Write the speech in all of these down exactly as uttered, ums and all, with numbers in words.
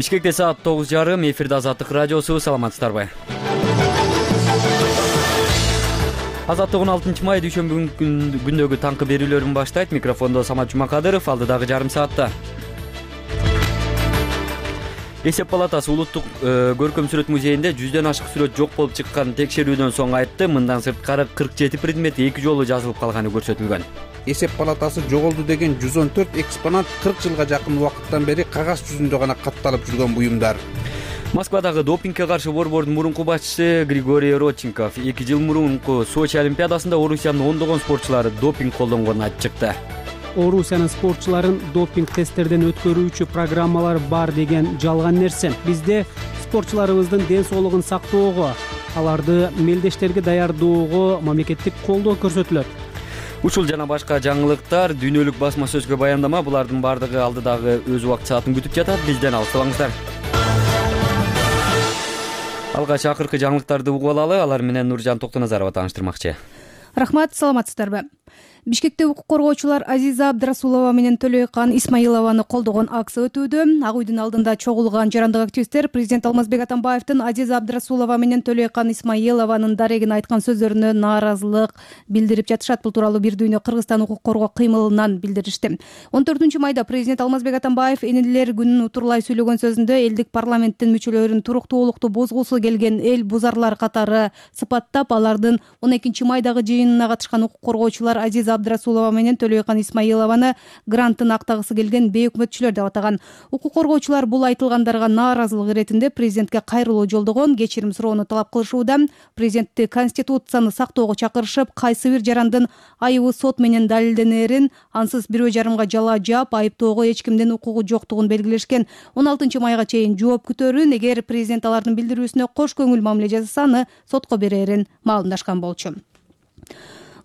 Бишкекте саат тогуз жарым, эфирде Азаттык радиосу. Саламатсыздарбы? Азаттык он алтынчы май дүйшөмбү күндөгү таңкы берүүлөрүн баштайт. Микрофондо Самат Жумакадыров. Алдыдагы жарым саатта Эсеп палатасы улуттук көркөм сүрөт музейинде жүздөн ашык сүрөт жок болуп чыккан текшерүүдөн соң айтты. Мындан сырткары кырк жети предмет эки жолу жазылып калганы көрсөтүлгөн. Эсеп палатасы жоголду деген жүз он төрт экспонат кырк жылга жакын убакыттан бери кагаз жүзүндө гана катталып жүргөн буюмдар. Москвадагы допингге каршы борбордун мурунку башчысы Григорий Родченков эки жыл мурунку Сочи олимпиадасында Орусиянын ондогон спортчулары допинг колдонгонун айтып чыкты. Орусиянын спортчуларын допинг тесттерден өткөрүүчү программалар бар деген жалган нерсе. Бизде спортчуларыбыздын ден соолугун сактоого, аларды мелдештерге даярдоого мамлекеттик колдоо көрсөтүлөт. Ушул жана башка жаңылыктар дүйнөлүк басма сөзгө баяндама, булардын бардыгы алдыдагы өз убакыт саатын күтүп жатат. Бизден алыстабаңыздар. Алгач акыркы жаңылыктарды угуп алалы. Алар менен Нуржан Токтоназарова тааныштырмакчы. Рахмат, саламатсыздарбы? Бишкекте укук коргоочулар Азиза Абдрасулова менен Төлөйкан Исмаилованы колдогон акция өтүүдө. Ак үйдүн алдында чогулган жарандык активисттер президент Алмазбек Атамбаевдин Азиза Абдрасулова менен Төлөйкан Исмаилованын дарегин айткан сөздөрүнө нааразылык билдирип жатышат. Бул тууралуу Бир дүйнө Кыргызстан укук коргоо кыймылынан билдиришти. он төртүнчү майда президент Алмазбек Атамбаев энелер күнүн утурлай сүйлөгөн сөзүндө элдик парламенттин мүчөлөрүн туруктуулукту бузгусу келген эл бузарлар катары сыпаттап, алардын он экинчи майдагы жыйынына катышкан укук коргоочулар Азиза Абдрасулова менен Төлөйкан Исмаилованы гранттын актагысы келген бейөкмөтчүлөр деп атаган. Укук коргоочулар бул айтылгандарга нааразылык иретинде президентке кайрылуу жолдогон, кечирим суроону талап кылышууда. Президентти конституцияны сактоого чакырышып, кайсы бир жарандын айыбы сот менен далилденерин, ансыз бирөө жарымга жала жаап, айыптоого эч кимдин укугу жоктугун белгилешкен. он алтынчы майга чейин жооп күтөрүн, эгер президент алардын билдирүүсүнө кош көңүл мамиле жасаса, аны сотко берерин маалымдашкан болчу.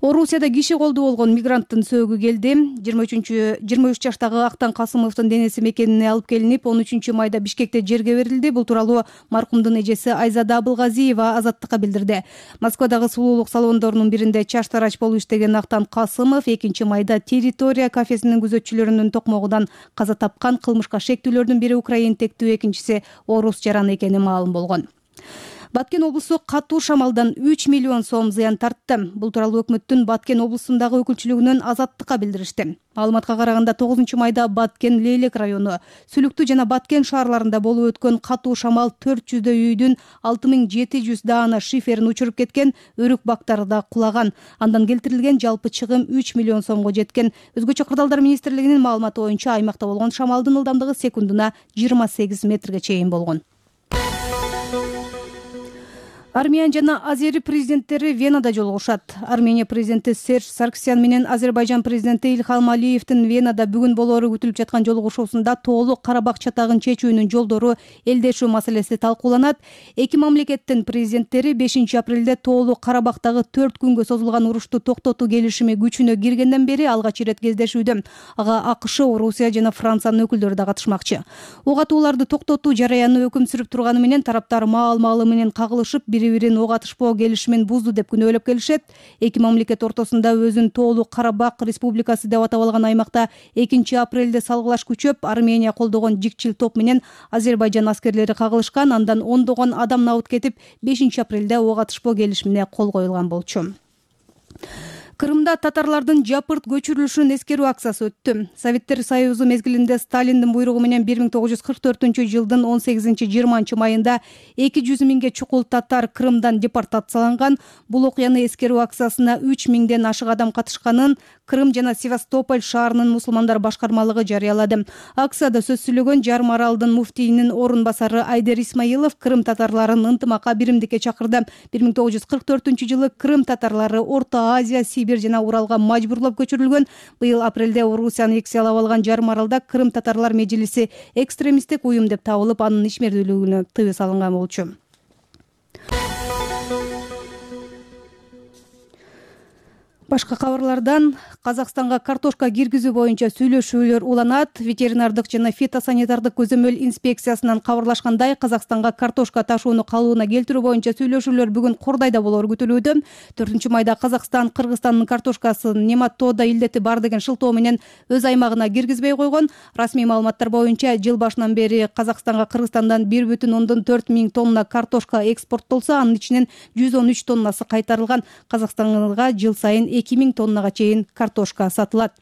Орусияда киши колду болгон мигранттын сөөгү келди. жыйырма үч жаштагы Актан Касымовдун денеси мекенине алып келинип, он үчүнчү майда Бишкекте жерге берилди. Бул тууралуу маркумдун эжеси Айзада Абылгазиева Азаттыкка билдирди. Москвадагы сулуулук салондорунун биринде чаштарач болуп иштеген Актан Касымов экинчи майда территория кафесинин күзөтчүлөрүнүн токмогудан каза тапкан. Кылмышка шектүүлөрдүн бири украин тектүү, экинчиси орус жараны экени маалым болгон. Баткен облусу катуу шамалдан үч миллион сом зыян тартты. Бул тууралуу өкмөттүн Баткен облусундагы өкүлчүлүгүнөн Азаттыкка билдиришти. Маалыматка караганда тогузунчу майда Баткен Лейлек району, Сүлүктүү жана Баткен шаарларында болуп өткөн катуу шамал төрт жүздөй үйдүн алты миң жети жүз даана шиферин учуруп кеткен, өрүк бактары да кулаган. Андан келтирилген жалпы чыгым үч миллион сомго жеткен. Өзгөчө Кырдаалдар министрлигинин маалыматы боюнча аймакта болгон шамалдын ылдамдыгы секундуна жыйырма сегиз метрге чейин болгон. Армян жана Азери президенттери Венада жолугушат. Армения президенти Серж Сарксян менен Азербайжан президенти Ильхам Алиевдин Венада бүгүн болоору күтүлүп жаткан жолугушуусунда тоолук Карабак чатагын чечүүнүн жолдору, элдешүү маселеси талкууланат. Эки мамлекеттин президенттери бешинчи апрелде тоолук Карабактагы төрт күнгө созулган урушту токтотуу келишими күчүнө киргенден бери алгач ирет кездешүүдө. Ага АКШ, Орусия жана Франциянын өкүлдөрү да катышмакчы. Ок атууларды токтотуу жараяны өкүм сүрүп турганы менен тараптар маал-маалы менен кагылышып, бири-бирин ок атышпоо келишимин бузду деп күнөөлөп келишет. Эки мамлекет ортосунда өзүн тоолук Карабак республикасы деп атап алган аймакта экинчи апрелде салгылаш күчөп, Армения колдогон жикчил топ менен Азербайжан аскерлери кагылышкан. Андан ондогон адам набыт кетип, бешинчи апрелде ок атышпоо келишимине кол коюлган болчу. Крымда татарлардын жапырт көчүрүлүшүн эскерүү акциясы өттү. Советтер Союзу мезгилинде Сталиндин буйругу менен бир миң тогуз жүз кырк төртүнчү жылдын он сегизинчи жыйырманчы майында эки жүз миңге чукул татар Крымдан депортацияланган. Бул окуяны эскерүү акциясына үч миңден ашык адам катышканын Крым жана Севастополь шаарынын мусулмандар башкармалыгы жарыялады. Акцияда сөз сүйлөгөн Жарым аралдын муфтийинин орун басары Айдер Исмаилов Крым татарларын ынтымакка, биримдикке чакырды. бир миң тогуз жүз кырк төртүнчү жылы Крым татарлары Орто Азия, Сибирь жана Уралга мажбурлап көчүрүлгөн. Быйыл апрелде Орусияны экселеп алган Жарым аралда Крым татарлар межлиси экстремисттик уюм деп табылып, анын ишмердүүлүгүнө тыюу салынган болчу. Башка кабарлардан Казакстанга картошка киргизүү боюнча сүйлөшүүлөр уланат. Ветеринардык жана фитосанитардык көзөмөл инспекциясынан кабарлашкандай, Казакстанга картошка ташууну калыбына келтирүү боюнча сүйлөшүүлөр бүгүн Кордайда болору күтүлүүдө. төртүнчү майда Казакстан Кыргызстандын картошкасын нематода илдети бар деген шылтоо менен өз аймагына киргизбей койгон. Расмий маалыматтар боюнча жыл башынан бери Казакстанга Кыргызстандан бир бүтүн ондон төрт миң тонна картошка экспорттолсо, анын ичинен жүз он үч тоннасы кайтарылган. Казакстанга жыл сайын эки миң тоннага чейин картошка сатылат.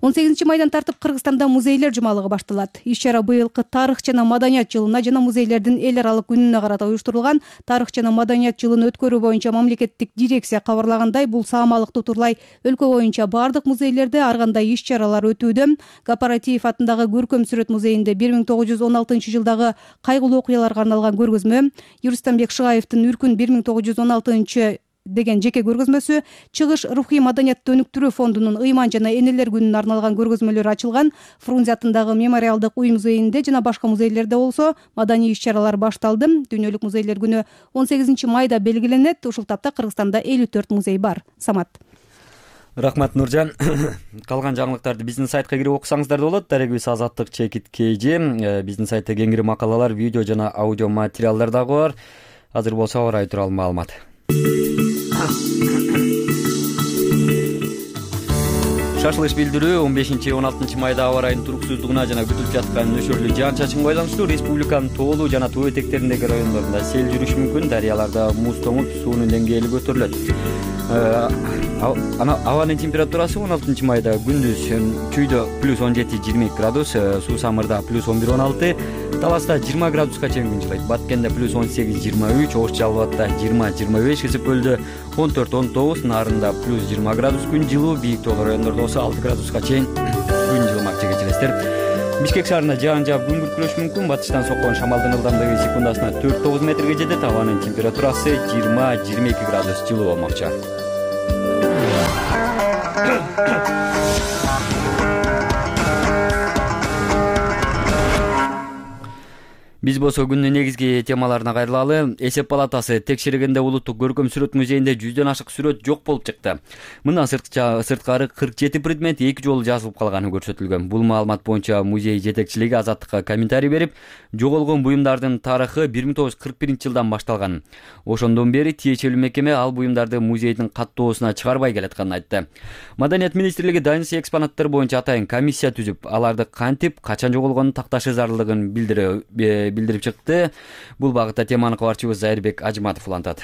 он сегизинчи майдан тартып Кыргызстанда музейлер жумалыгы башталат. Иш-чара быйылкы тарых жана маданият жылына жана музейлердин эл аралык күнүнө карата уюштурулган. Тарых жана маданият жылын өткөрүү боюнча мамлекеттик дирекция кабарлагандай, бул саамалык тутурлай өлкө боюнча бардык музейлерде ар кандай иш-чаралар өтүүдө. Гапаратиев атындагы көркөм сүрөт музейинде бир миң тогуз жүз он алтынчы жылдагы кайгылуу окуяларга арналган көргөзмө, Юрустамбек Шыгаевдин Үркүн бир миң тогуз жүз он алтынчы деген жеке көргөзмөсү, Чыгыш рухий маданиятты өнүктүрүү фондунун ыйман жана энелер күнүнө арналган көргөзмөлөр ачылган. Фрунзе атындагы мемориалдык уй музейинде жана башка музейлерде болсо маданий иш-чаралар башталды. Дүйнөлүк музейлер күнү он сегизинчи майда белгиленет. Ушул тапта Кыргызстанда элүү төрт музей бар. Самат. Рахмат, Нуржан. Калган жаңылыктарды биздин сайтка кирип окусаңыздар да болот. Дарегибиз Азаттык чекит kg. Биздин сайтта кеңири макалалар, видео жана аудио материалдар дагы бар. Азыр болсо аба ырайы тууралуу маалымат. Шашылыш билдирүү он бешинчи он алтынчы майда аба ырайынын туруксуздугуна жана күтүлүп жаткан нөшөрлүү жаан-чачынга байланыштуу республиканын тоолуу жана тоо этектериндеги райондорунда сел жүрүшү мүмкүн. Дарыяларда муз тоңуп, суунун деңгээли көтөрүлөт. Абанын температурасы он алтынчы майда күндүз чүйдө плюс он жети жыйырма эки градус, суу самырда плюс он бир он алты, Таласта жыйырма градуска чейин күн жылайт. Баткенде плюс он сегиз жыйырма үч, Ош Жалбатта жыйырма жыйырма беш, Кызык көлдө он төрт он тогуз, Нарында плюс жыйырма градус күн жылуу, бийик тоолуу райондордо болсо алты градуска чейин күн жылымак жегечелестер. Бишкек шаарында жаан жаап күн күркүрөшү мүмкүн. Батыштан соккон шамалдын ылдамдыгы секундасына төрт тогуз метрге жетет. Абанын температурасы жыйырма жыйырма эки градус жылуу болмокчу. Биз болсо күндүн негизги темаларына кайрылалы. Эсеп палатасы текшергенде улуттук көркөм сүрөт музейинде жүздөн ашык сүрөт жок болуп чыкты. Мындан сырткары кырк жети предмет эки жолу жазылып калганы көрсөтүлгөн. Бул маалымат боюнча музей жетекчилиги Азаттыкка комментарий берип, жоголгон буюмдардын тарыхы бир миң тогуз жүз кырк биринчи жылдан башталган. Ошондон бери тиешелүү мекеме ал буюмдарды музейдин каттоосуна чыгарбай келатканын айтты. Маданият министрлиги дайынсы экспонаттар боюнча атайын комиссия түзүп, аларды кантип, качан жоголгонун такташы зарылдыгын билдирип билдирип чыкты. Бул багытта теманы кабарчыбыз Зайырбек Ажыматов улантат.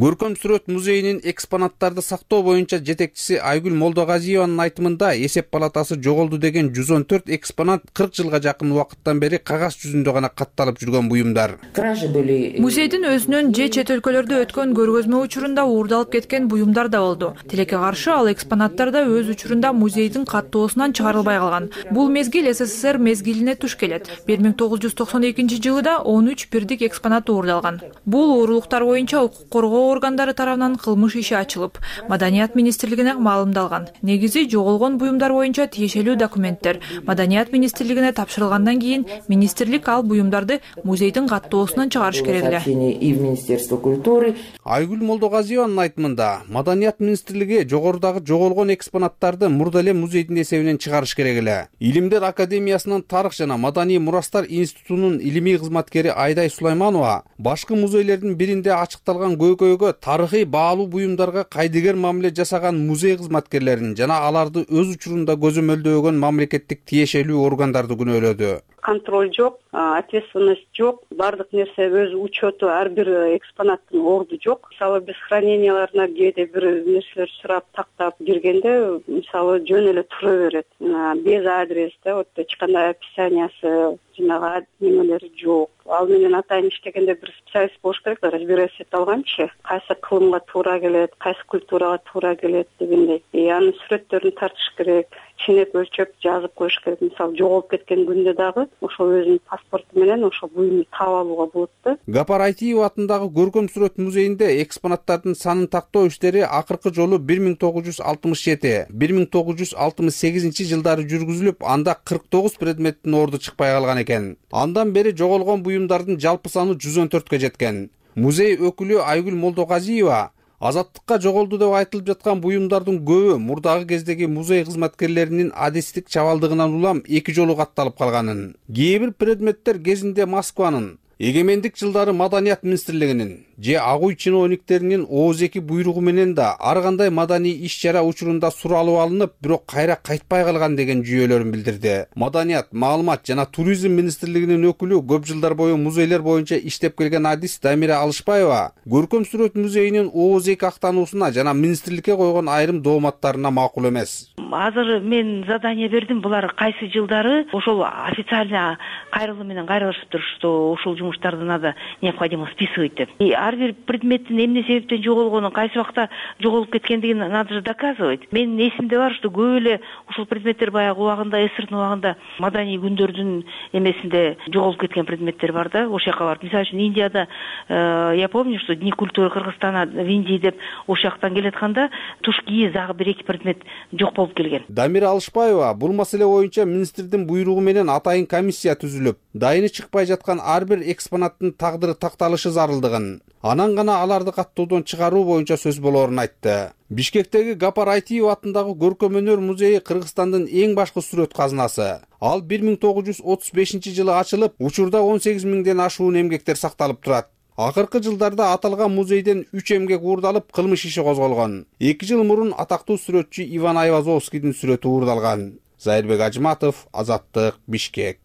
Көркөм сүрөт музейинин экспонаттарды сактоо боюнча жетекчиси Айгүл Молдогазиеванын айтымында эсеп палатасы жоголду деген жүз он төрт экспонат кырк жылга жакын убакыттан бери кагаз жүзүндө гана катталып жүргөн буюмдар. Музейдин өзүнүн же чет өлкөлөрдө өткөн көргөзмө учурунда уурдалып кеткен буюмдар да болду. Тилекке каршы ал экспонаттар да өз учурунда музейдин каттоосунан чыгарылбай калган. Бул мезгил СССР мезгилине туш келет. бир миң тогуз жүз токсон экинчи жылы да он үч бирдик экспонат уурдалган. Бул уурулуктар боюнча укук коргоо органдары тарабынан кылмыш иши ачылып, Маданият министрлигине маалымдалган. Негизи жоголгон буюмдар боюнча тиешелүү документтер Маданият министрлигине тапшырылгандан кийин министрлик ал буюмдарды музейдин каттоосунан чыгарыш керек эле. Айгүл Молдогазиеванын айтымында, Маданият министрлиги жогорудагы жоголгон экспонаттарды мурда эле музейдин эсебинен чыгарыш керек эле. Илимдер академиясынын тарых жана маданий мурастар институтунун илимий кызматкери Айдай Сулайманова башкы музейлердин биринде ачыкталган көйгөйгө тарыхый баалуу буюмдарга кайдыгер мамиле жасаган музей кызматкерлерин жана аларды өз учурунда көзөмөлдөгөн мамлекеттик тиешелүү органдарды күнөөлөдү. Контроль жок, ответственность жок, бардык нерсе өз учету, ар бир экспонаттын орду жок. Мисалы биз храненияларына кээде бир нерселер сурап тактап киргенде, мисалы жөн эле тура берет. Без адреста, вот эч кандай описаниясы, жанагы немелери жок. Ал менен атайын иштегенде бир специалист болуш керек, разбираться эте алганчы, кайсы кылымга туура келет, кайсы культурага туура келет дегендей. И анын сүрөттөрүн тартыш керек, ченеп өлчөп жазып коюш керек. Мисалы жоголуп кеткен күндө дагы ошол өзүнүн паспорту менен ошол буюмду таап алууга болот да. Гапар Айтиева атындагы көркөм сүрөт музейинде экспонаттардын санын тактоо иштери акыркы жолу бир миң тогуз жүз алтымыш жети, бир миң тогуз жүз алтымыш сегизинчи жылдары жүргүзүлүп, анда кырк тогуз предметтин орду чыкпай калган экен. Андан бери жоголгон буюмдардын жалпы саны жүз он төрткө жеткен. Музей өкүлү Айгүл Молдогазиева Азаттыкка жоголду деп айтылып жаткан буюмдардын көбү мурдагы кездеги музей кызматкерлеринин адистик чабалдыгынан улам эки жолу катталып калганын, кээ бир предметтер кезинде Москванын эгемендик жылдары Маданият министрлигинин же ак үй чиновниктеринин ооз эки буйругу менен да ар кандай маданий иш-чара учурунда суралып алынып, бирок кайра кайтпай калган деген жүйөлөрүн билдирди. Маданият, маалымат жана туризм министрлигинин өкүлү, көп жылдар бою музейлер боюнча иштеп келген адис Дамира Алышбаева Көркөм сүрөт музейинин ооз эки актануусуна жана министрликке койгон айрым дооматтарына макул эмес. Азыр мен задание бердим, булар кайсы жылдары ошол официально кайрылуу менен кайрылышыптыр, что ушул жумуштарды надо необходимо списывать деп. И ар бир предметтин эмне себептен жоголгонун, кайсы убакта жоголуп кеткендигин надо же доказывать. Менин эсимде бар, что көп эле ушул предметтер баягы убагында, СССРдын убагында маданий күндөрдүн эмесинде жоголуп кеткен предметтер бар да, ошол жака барып. Мисалы үчүн Индияда я помню, что Дни культуры Кыргызстана в Индии деп ошол жактан келатканда тушки загы бир эки предмет жок болуп келген. Дамира Алышбаева бул маселе боюнча министрдин буйругу менен атайын комиссия түзүлүп, дайыны чыкпай жаткан ар бир экспонаттын тагдыры такталышы зарылдыгын, анан гана аларды каттоодон чыгаруу боюнча сөз болоорун айтты. Бишкектеги Гапар Айтиев атындагы Көркөм өнөр музейи Кыргызстандын эң башкы сүрөт казынасы. Ал бир миң тогуз жүз отуз бешинчи жылы ачылып, учурда он сегиз миңден ашуун эмгектер сакталып турат. Акыркы жылдарда аталган музейден үч эмгек уурдалып, кылмыш иши козголгон. эки жыл мурун атактуу сүрөтчү Иван Айвазовскийдин сүрөтү уурдалган. Зайырбек Ажматов, Азаттык, Бишкек.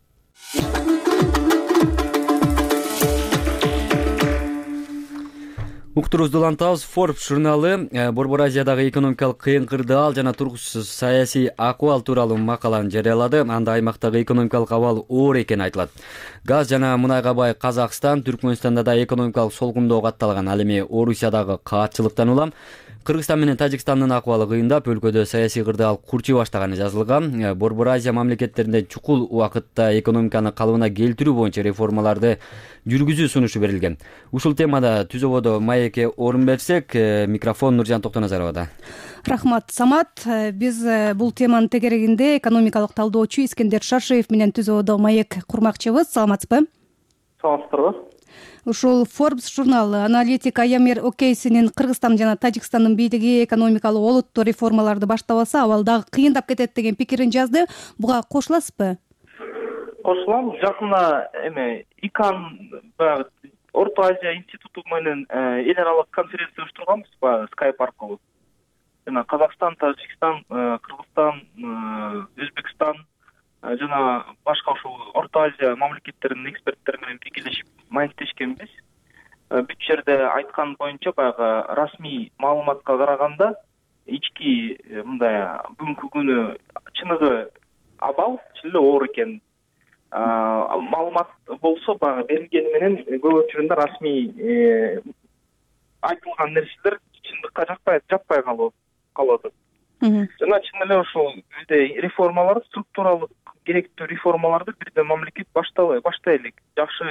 Уктурубузду улантабыз. Forbes журналы Борбор Азиядагы экономикалык кыйын кырдаал жана тургусуз саясий акыбал тууралуу макаланы жарыялады. Анда аймактагы экономикалык абал оор экени айтылат. Газ жана мунайга бай Казакстан, Түркмөнстанда да экономикалык солгундоо катталган. Ал эми Орусиядагы каатчылыктан улам Кыргызстан менен Тажикстандын акыбалы кыйындап, өлкөдө саясий кырдаал курчуй баштаганы жазылган. Борбор Азия мамлекеттеринде чукул убакытта экономиканы калыбына келтирүү боюнча реформаларды жүргүзүү сунушу берилген. Ушул темада түзөбодо маекке орун берсек, микрофон Нуржан Токтоназаровада. Рахмат, Самат. Биз бул теманын тегерегинде экономикалык талдоочу Искендер Шаршеев менен түзөбодо маек курмакчыбыз. Саламатсызбы? Саламатсыздарбы? Ушул Forbes журналы аналитик Аямер Окейсинин Кыргызстан жана Тажикстандын бийлиги экономикалык олуттуу реформаларды баштабаса, абал дагы кыйындап кетет деген пикирин жазды. Буга кошуласызбы? Кошулам. Жакында эме ИКАН баягы Орто Азия институту менен эл аралык конференция уюштурганбыз баягы Skype аркылуу. Жана Казакстан, Тажикстан, Кыргызстан, Өзбекстан жана башка ушул Орто Азия мамлекеттеринин эксперттери менен биргелешип маектешкенбиз. Бүт жерде айткан боюнча баягы расмий маалыматка караганда ички мындай бүгүнкү күнү чыныгы абал чын эле оор экен. Маалымат болсо баягы берилгени менен көп учурунда расмий айтылган нерселер чындыкка жакпай жаппай калып калат. Жана чын эле ушул бизде реформалар, структуралык керектүү реформаларды бирден мамлекет баштабай баштай элек, жакшы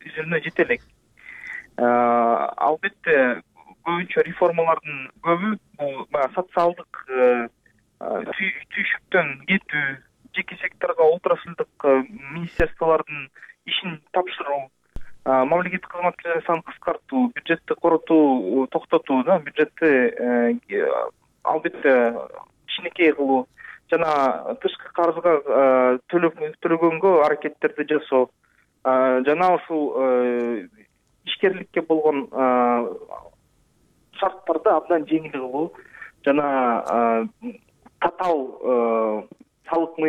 үзүлүнө жете элек. Албетте көбүнчө реформалардын көбү бул баягы социалдык түйшүктөн кетүү, жеке секторго отраслдык министерстволордун ишин тапшыруу, мамлекеттик кызматкерлердин санын кыскартуу, бюджетти коротуу, токтотуу, да, бюджетти албетте кичинекей кылуу жана тышкы карызга төлөгөнгө аракеттерди жасоо жана ушул ишкерликке болгон шарттарды абдан жеңил кылуу жана татаал салык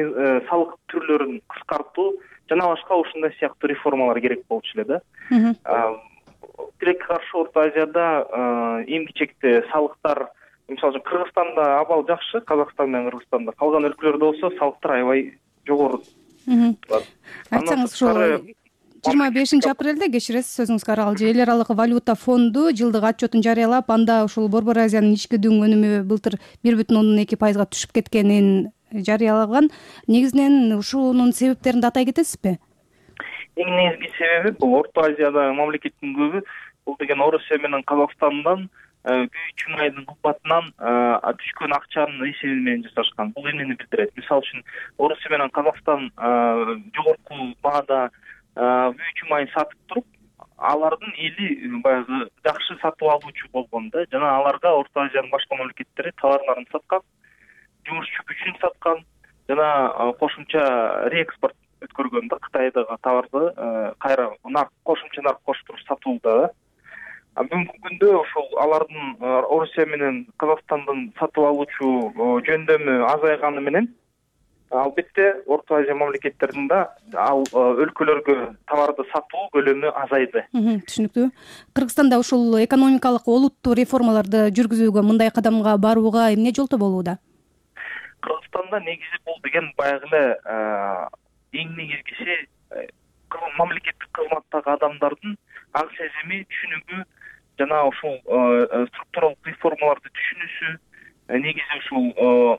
салык түрлөрүн кыскартуу жана башка ушундай сыяктуу реформалар керек болчу эле да. Тилекке каршы Орто Азияда эмгичекте салыктар, мисалы үчүн Кыргызстанда абал жакшы, Казакстан менен Кыргызстанда, калган өлкөлөрдө болсо салыктар аябай жогору. Айтсаңыз, ушул жыйырма бешинчи апрелде, кечиресиз сөзүңүзгө аралгы, эл аралык валюта фонду жылдык отчетун жарыялап, анда ушул Борбор Азиянын ички дүң өнүмү былтыр бир бүтүн ондон эки пайызга түшүп кеткенин жарыялаган. Негизинен ушунун себептерин да атай кетесизби? Эң негизги себеби бул Орто Азиядагы мамлекеттин көбү бул деген Орусия менен Казакстандан Күйүү Чумайдын кымбатынан түшкөн акчанын эсебин менен жасашкан. Бул эмнени билдирет? Мисалы үчүн Орусия менен Казакстан жогорку баада Күйүү Чумайын сатып туруп, алардын эли баягы жакшы сатып алуучу болгон да, жана аларга Орто Азиянын башка мамлекеттери товарларын саткан, жумушчу күчүн саткан жана кошумча реэкспорт өткөргөн да, Кытайдагы товарды кайра нарк кошумча нарк коштуруп сатууда да. А бүгүнкү күндө ошол алардын Орусия менен Казакстандын сатып алуучу жөндөмү азайганы менен албетте Орто Азия мамлекеттеринде ал өлкөлөргө товарды сатуу көлөмү азайды. Түшүнүктүү. Кыргызстанда ушул экономикалык олуттуу реформаларды жүргүзүүгө, мындай кадамга барууга эмне жолтоо болууда? Кыргызстанда негизи бул деген баягы эле эң негизгиси мамлекеттик кызматтагы адамдардын аң сезими, түшүнүгү жана ушул структуралык реформаларды түшүнүүсү, негизи ушул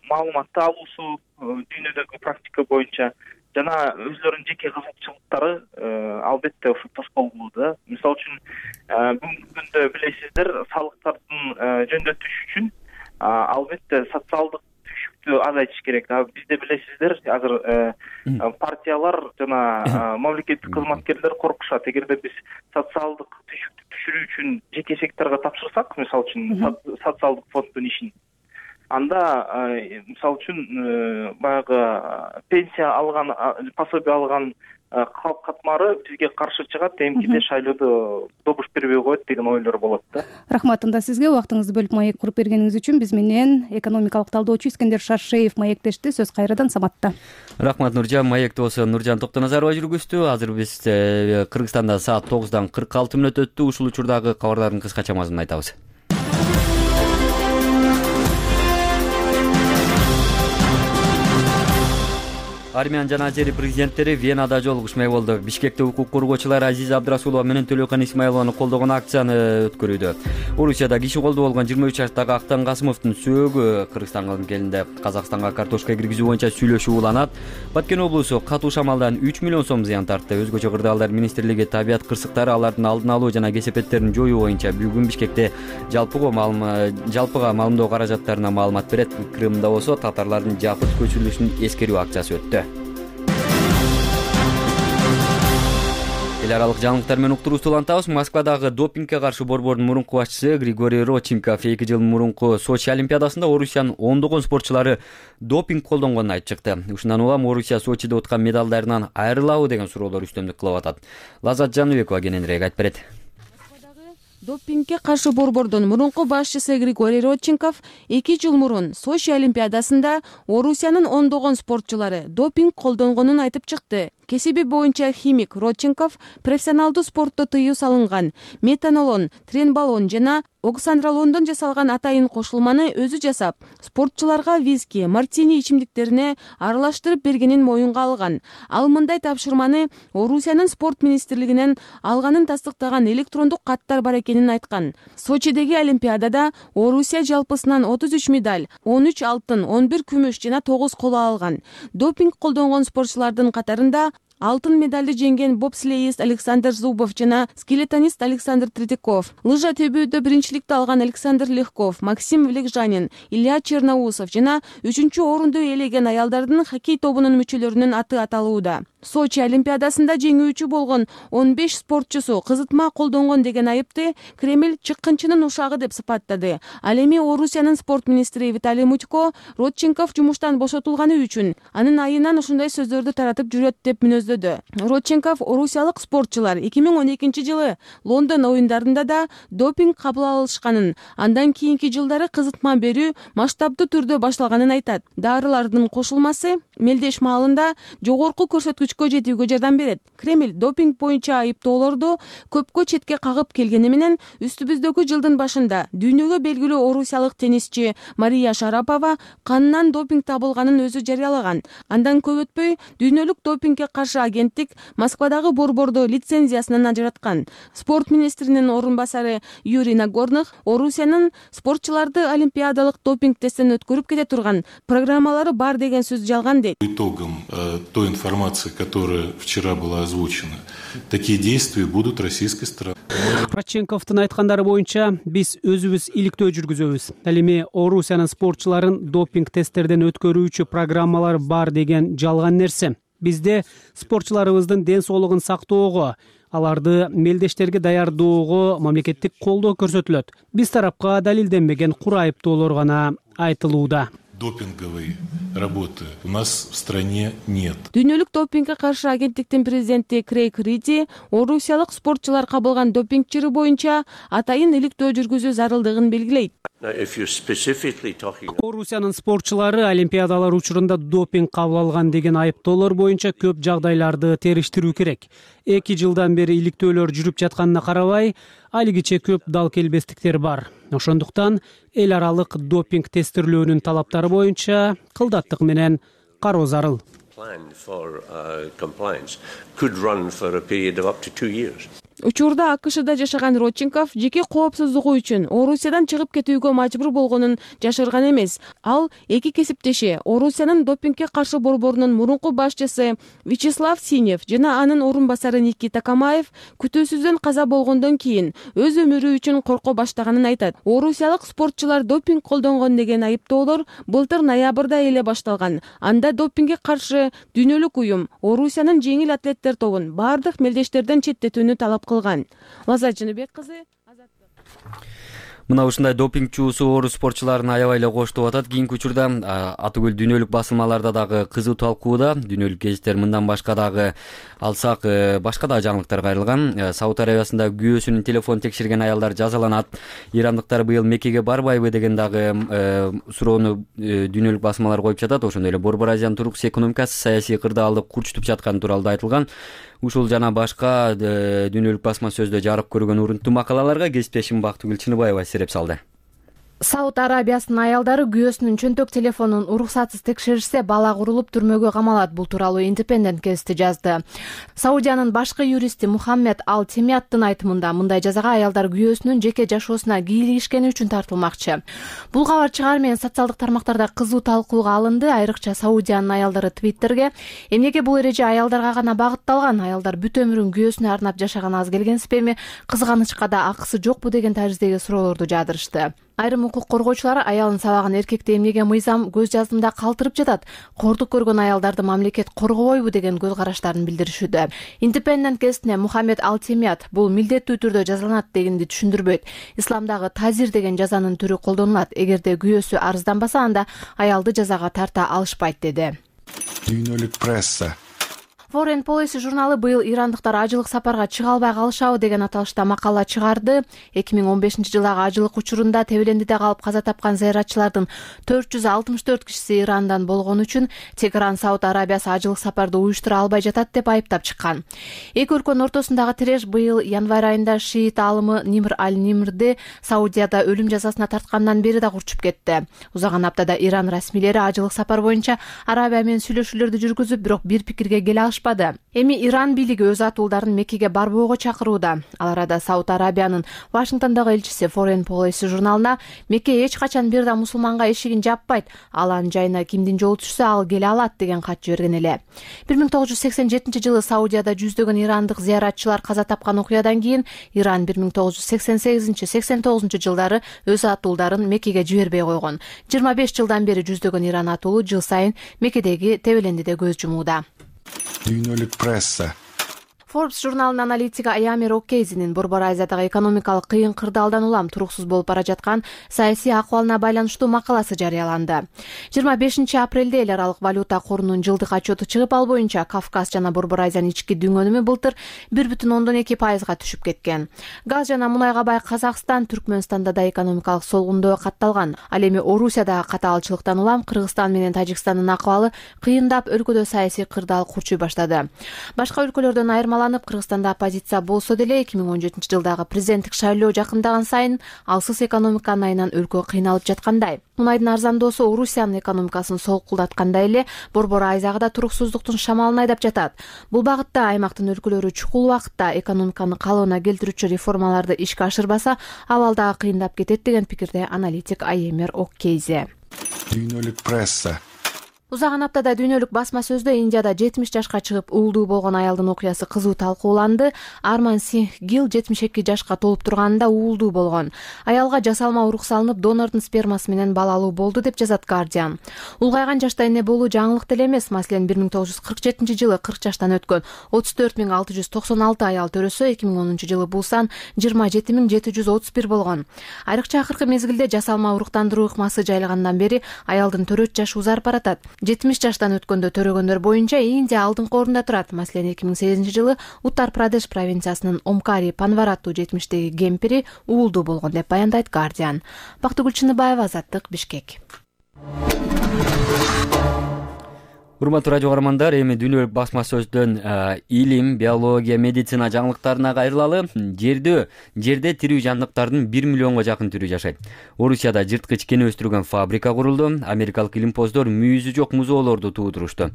маалыматты алуусу дүйнөдөгү практика боюнча жана өзлөрүнүн жеке кызыкчылыктары албетте ушул тоскоолдуу да. Мисалы үчүн бүгүнкү күндө билесиздер, салыктардын жөндөтүш үчүн албетте социалдык түшүктү азайтыш керек. Бизде билесиздер, азыр партиялар жана мамлекеттик кызматкерлер коркушат. Эгерде биз социалдык түшүктү түшүрүү үчүн жеке секторго тапшырсак, мисалы үчүн социалдык фонддун ишин, анда мисалы үчүн баягы пенсия алган, пособие алган калк катмары бизге каршы чыгат, эмкиде шайлоодо добуш бербей коет деген ойлор болот да. Рахмат анда сизге, убактыңызды бөлүп маек куруп бергениңиз үчүн. Биз менен экономикалык талдоочу Искендер Шаршеев маектешти. Сөз кайрадан Саматта. Рахмат Нуржан. Маекти болсо Нуржан Токтоназарова жүргүздү. Азыр биз Кыргызстанда саат тогуздан кырк алты мүнөт өттү. Ушул учурдагы кабарлардын кыскача мазмунун айтабыз. Армян жана Азери президенттери Венада жолугушмак болду. Бишкекте укук коргоочулар Азиза Абдрасулова менен Төлөкөн Исмаилованы колдогон акцияны өткөрүүдө. Орусияда киши колдоо болгон жыйырма үч жаштагы Актан Касымовдун сөөгү Кыргызстанга келинди. Казакстанга картошка киргизүү боюнча сүйлөшүү уланат. Баткен облусу катуу шамалдан үч миллион сом зыян тартты. Өзгөчө кырдаалдар министрлиги табият кырсыктары алардын алдын алуу жана кесепеттерин жоюу боюнча бүгүн Бишкекте жалпыга жалпыга маалымдоо каражаттарына маалымат берет. Крымда болсо татарлардын жапыт көчүрүлүшүн эскерүү акциясы өттү. Эл аралык жаңылыктар менен уктуруубузду улантабыз. Москвадагы допингге каршы борбордун мурунку башчысы Григорий Родченков эки жыл мурунку Сочи олимпиадасында Орусиянын ондогон спортчулары допинг колдонгонун айтып чыкты. Ушундан улам Орусия Сочиде уткан медалдарынан айрылабы деген суроолор үстөмдүк кылып атат. Лаззат Жаныбекова кененирээк айтып берет. Допингге каршы борбордун мурунку башчысы Григорий Родченков эки жыл мурун Сочи олимпиадасында Орусиянын ондогон спортчулары допинг колдонгонун айтып чыкты. Кесиби боюнча химик Родченков профессионалдуу спортто тыюу салынган метанолон, тренбалон жана оксандролондон жасалган атайын кошулманы өзү жасап, спортчуларга виски, мартини ичимдиктерине аралаштырып бергенин моюнга алган. Ал мындай тапшырманы Орусиянын спорт министрлигинен алганын тастыктаган электрондук каттар бар экенин айткан. Сочидеги олимпиадада Орусия жалпысынан отуз үч медаль, он үч алтын, он бир күмүш жана тогуз коло алган. Допинг колдонгон спортчулардын катарында алтын медалды жеңген бобслеист Александр Зубов жана скелетонист Александр Третьяков, лыжа тебүүдө биринчиликти алган Александр Легков, Максим Влекжанин, Илья Черноусов жана үчүнчү орунду ээлеген аялдардын хоккей тобунун мүчөлөрүнүн аты аталууда. Сочи олимпиадасында жеңүүчү болгон он беш спортчусу кызытма колдонгон деген айыпты Кремль чыккынчынын ушагы деп сыпаттады. Ал эми Орусиянын спорт министри Виталий Мутько Родченков жумуштан бошотулганы үчүн анын айынан ушундай сөздөрдү таратып жүрөт деп мүнөздөдү. Родченков орусиялык спортчулар эки миң он экинчи жылы Лондон оюндарында да допинг кабыл алышканын, андан кийинки жылдары кызытма берүү масштабдуу түрдө башталганын айтат. Дарылардын кошулмасы мелдеш маалында жогорку көрсөткүчкө жетүүгө жардам берет. Кремль допинг боюнча айыптоолорду көпкө четке кагып келгени менен үстүбүздөгү жылдын башында дүйнөгө белгилүү орусиялык теннисчи Мария Шарапова канынан допинг табылганын өзү жарыялаган. Андан көп өтпөй дүйнөлүк допингге каршы агенттик Москвадагы борборду лицензиясынан ажыраткан. Спорт министринин орун басары Юрий Нагорных Орусиянын спортчуларды олимпиадалык допинг тесттен өткөрүп кете турган программалары бар деген сөз жалган дейт. Итогом э, той информации, которая вчера была озвучена, такие действия будут российской стороны. Родченковдун айткандары боюнча биз өзүбүз иликтөө жүргүзөбүз. Ал эми Орусиянын спортчуларын допинг тесттерден өткөрүүчү программалар бар деген жалган нерсе. Бизде спортчуларыбыздын ден соолугун сактоого, аларды мелдештерге даярдоого мамлекеттик колдоо көрсөтүлөт. Биз тарапка далилденбеген кур айыптоолор гана айтылууда. Допинговой работы у нас в стране нет. Дүйнөлүк допингге каршы агенттиктин президенти Крейг Риди орусиялык спортчулар кабылган допинг чыры боюнча атайын иликтөө жүргүзүү зарылдыгын белгилейт. Орусиянын спортчулары олимпиадалар учурунда допинг кабыл алган деген айыптоолор боюнча көп жагдайларды териштирүү керек. Эки жылдан бери иликтөөлөр жүрүп жатканына карабай, алигиче көп дал келбестиктер бар. Ошондуктан эл аралык допинг тестирлөөнүн талаптары боюнча кылдаттык менен кароо зарыл. Учурда АКШда жашаган Родченков жеке коопсуздугу үчүн Орусиядан чыгып кетүүгө мажбур болгонун жашырган эмес. Ал эки кесиптеши Орусиянын допингге каршы борборунун мурунку башчысы Вячеслав Синев жана анын орун басары Никита Камаев күтүүсүздөн каза болгондон кийин өз өмүрү үчүн корко баштаганын айтат. Орусиялык спортчулар допинг колдонгон деген айыптоолор былтыр ноябрда эле башталган. Анда допингге каршы дүйнөлүк уюм Орусиянын жеңил атлеттер тобун бардык мелдештерден четтетүүнү талап кылган. Лаза Жыныбек кызы, Азаттык. Мына ушундай допинг чуусу орус спортчуларын аябай эле коштоп атат. Кийинки учурда Атыгүл дүйнөлүк басылмаларда дагы кызуу талкууда. Дүйнөлүк гезиттер мындан башка дагы алсак, башка да жаңылыктар кайрылган. Сауд Арабиясында күйөөсүнүн телефон текшерген аялдар жазаланат. Ирандыктар быйыл Меккеге барбайбы деген дагы суроону дүйнөлүк басылмалар коюп жатат. Ошондой эле Борбор Азиянын туруксуз экономикасы саясий кырдаалды курчутуп жатканы тууралуу да айтылган. Ушул жана башка дүйнөлүк басма сөздө жарык көргөн урунттуу макалаларга кесиптешим Бактыгүл Чыныбаева сереп салды. Сауд Арабиясынын аялдары күйөөсүнүн чөнтөк телефонун уруксатсыз текшеришсе бала курулуп түрмөгө камалат. Бул тууралуу Independent гезити жазды. Саудиянын башкы юристи Мухаммед Ал Темияттын айтымында мындай жазага аялдар күйөөсүнүн жеке жашоосуна кийлигишкени үчүн тартылмакчы. Бул кабар чыгаар менен социалдык тармактарда кызуу талкууга алынды. Айрыкча Саудиянын аялдары Твиттерге эмнеге бул эреже аялдарга гана багытталган, аялдар бүт өмүрүн күйөөсүнө арнап жашаган аз келгенсиздерби, кызганычка да акысы жокпу деген тарздеги суроолорду жаадырышты. Айрым укук коргоочулар аялын сабаган эркекти эмнеге мыйзам көз жаздымда калтырып жатат, кордук көргөн аялдарды мамлекет коргобойбу деген көз караштарын билдиришүүдө. Independent гезитине Мухаммед Ал Темият бул милдеттүү түрдө жазаланат дегенди түшүндүрбөйт. Исламдагы тазир деген жазанын түрү колдонулат. Эгерде күйөөсү арызданбаса, анда аялды жазага тарта алышпайт деди. Дүйнөлүк пресса. Foreign Policy журналы быйыл ирандыктар ажылык сапарга чыга албай калышабы деген аталышта макала чыгарды. эки миң он бешинчи жылдагы ажылык учурунда Тебелендиде калып каза тапкан зыяратчылардын төрт жүз алтымыш төрт кишиси Ирандан болгон үчүн Тегеран Сауд Арабиясы ажылык сапарды уюштура албай жатат деп айыптап чыккан. Эки өлкөнүн ортосундагы тиреш быйыл январь айында шиит алымы Нимр аль-Нимрди Саудияда өлүм жазасына тарткандан бери да курчуп кетти. Узаган аптада Иран расмийлери ажылык сапар боюнча Арабия менен сүйлөшүүлөрдү жүргүзүп, бирок бир пикирге келе алышпады. Эми Иран бийлиги өз атуулдарын Меккеге барбоого чакырууда. Ал арада Сауд Арабиянын Вашингтондогу элчиси Foreign Policy журналына Мекке эч качан бир да мусулманга эшигин жаппайт, ал анын жайына кимдин жолу түшсө ал келе алат деген кат жиберген эле. бир миң тогуз жүз сексен жетинчи жылы Саудияда жүздөгөн ирандык зыяратчылар каза тапкан окуядан кийин Иран бир миң тогуз жүз сексен сегизинчи сексен тогузунчу жылдары өз атуулдарын Меккеге жибербей койгон. жыйырма беш жылдан бери жүздөгөн Иран атуулу жыл сайын Меккедеги Тебелендиде көз жумууда. Дүйнөлүк пресса. Forbes журналынын аналитиги Аямир Окейзинин Борбор Азиядагы экономикалык кыйын кырдаалдан улам туруксуз болуп бара жаткан саясий акыбалына байланыштуу макаласы жарыяланды. жыйырма бешинчи апрелде эл аралык валюта корунун жылдык отчету чыгып, ал боюнча Кавказ жана Борбор Азиянын ички дүң өнүмү былтыр бир бүтүн ондон эки пайызга түшүп кеткен. Газ жана мунайга бай Казакстан, Түркмөнстанда да экономикалык солгундоо катталган. Ал эми Орусиядагы катаалчылыктан улам Кыргызстан менен Тажикстандын акыбалы кыйындап, өлкөдө саясий кырдаал курчуй баштады. Башка өлкөлөрдөн айырмаланып, Кыргызстанда оппозиция болсо деле эки миң он жетинчи жылдагы президенттик шайлоо жакындаган сайын алсыз экономиканын айынан өлкө кыйналып жаткандай. Мунайдын арзандоосу Орусиянын экономикасын солкулдаткандай эле Борбор Азияга да туруксуздуктун шамалын айдап жатат. Бул багытта аймактын өлкөлөрү чукул убакытта экономиканы калыбына келтирүүчү реформаларды ишке ашырбаса, абал дагы кыйындап кетет деген пикирде аналитик Аемир Оккейзе. Дүйнөлүк пресса. Узаган аптада дүйнөлүк басма сөздө Индияда жетимиш жашка чыгып уулдуу болгон аялдын окуясы кызуу талкууланды. Арман Сингх Гил жетимиш эки жашка толуп турганында уулдуу болгон. Аялга жасалма урук салынып, донордун спермасы менен балалуу болду деп жазат Guardian. Улгайган жашта эне болуу жаңылык деле эмес. Маселен бир миң тогуз жүз кырк жетинчи жылы кырк жаштан өткөн отуз төрт миң алты жүз токсон алты аял төрөсө, эки миң онунчу жылы бул сан жыйырма жети миң жети жүз отуз бир болгон. Айрыкча акыркы мезгилде жасалма уруктандыруу ыкмасы жайлагандан бери аялдын төрөт жашы узарып баратат. жетимиш жаштан өткөндө төрөгөндөр боюнча Индия алдыңкы орунда турат. Маселен эки миң сегизинчи жылы Уттар Прадеш провинциясынын Омкари Панвараттуу жетимиштеги кемпири уулдуу болгон деп баяндайт Guardian. Бактыгүл Чыныбаева, Азаттык, Бишкек. Урматтуу радио каармандар, эми дүйнөлүк басма сөздөн илим, биология, медицина жаңылыктарына кайрылалы. Жерде жерде тирүү жандыктардын бир миллионго жакын түрү жашайт. Орусияда жырткыч кене өстүргөн фабрика курулду. Америкалык илимпоздор мүйүзү жок музоолорду туудурушту.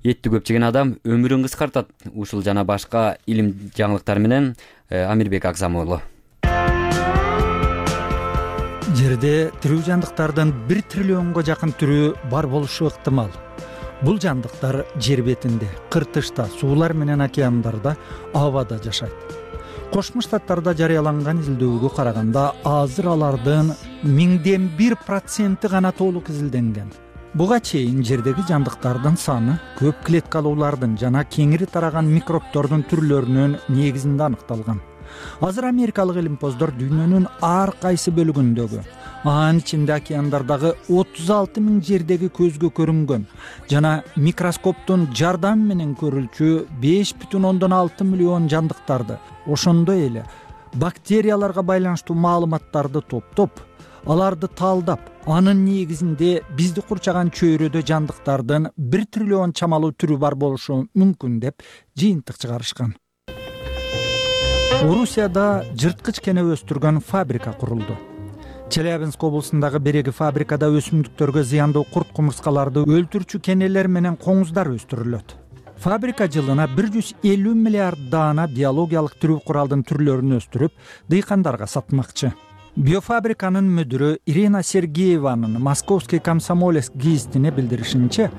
Этти көп жеген адам өмүрүн кыскартат. Ушул жана башка илим жаңылыктар менен Амирбек Акзамуулу. Жерде тирүү жандыктардын бир триллионго жакын түрү бар болушу ыктымал. Бул жандыктар жер бетинде, кыртышта, суулар менен океандарда, абада жашайт. Кошмо Штаттарда жарыяланган изилдөөгө караганда азыр алардын миңден бир проценти гана толук изилденген. Буга чейин жердеги жандыктардын саны көп клеткалуулардын жана кеңири тараган микробтордун түрлөрүнүн негизинде аныкталган. Азыр америкалык илимпоздор дүйнөнүн ар кайсы бөлүгүндөгү, анын ичинде океандардагы отуз алты миң жердеги көзгө көрүнгөн жана микроскоптун жардамы менен көрүлчү беш бүтүн ондон алты миллион жандыктарды, ошондой эле бактерияларга байланыштуу маалыматтарды топтоп, аларды талдап, анын негизинде бизди курчаган чөйрөдө жандыктардын бир триллион чамалуу түрү бар болушу мүмкүн деп жыйынтык чыгарышкан. Орусияда жырткыч кене өстүргөн фабрика курулду. Челябинск облусундагы береги фабрикада өсүмдүктөргө зыяндуу курт кумурскаларды өлтүрчү кенелер менен коңуздар өстүрүлөт. Фабрика жылына бир жүз элүү миллиард даана биологиялык тирүү куралдын түрлөрүн өстүрүп, дыйкандарга сатмакчы. Биофабриканын мүдүрү Ирина Сергееванын Московский комсомолец гезитине билдиришинче,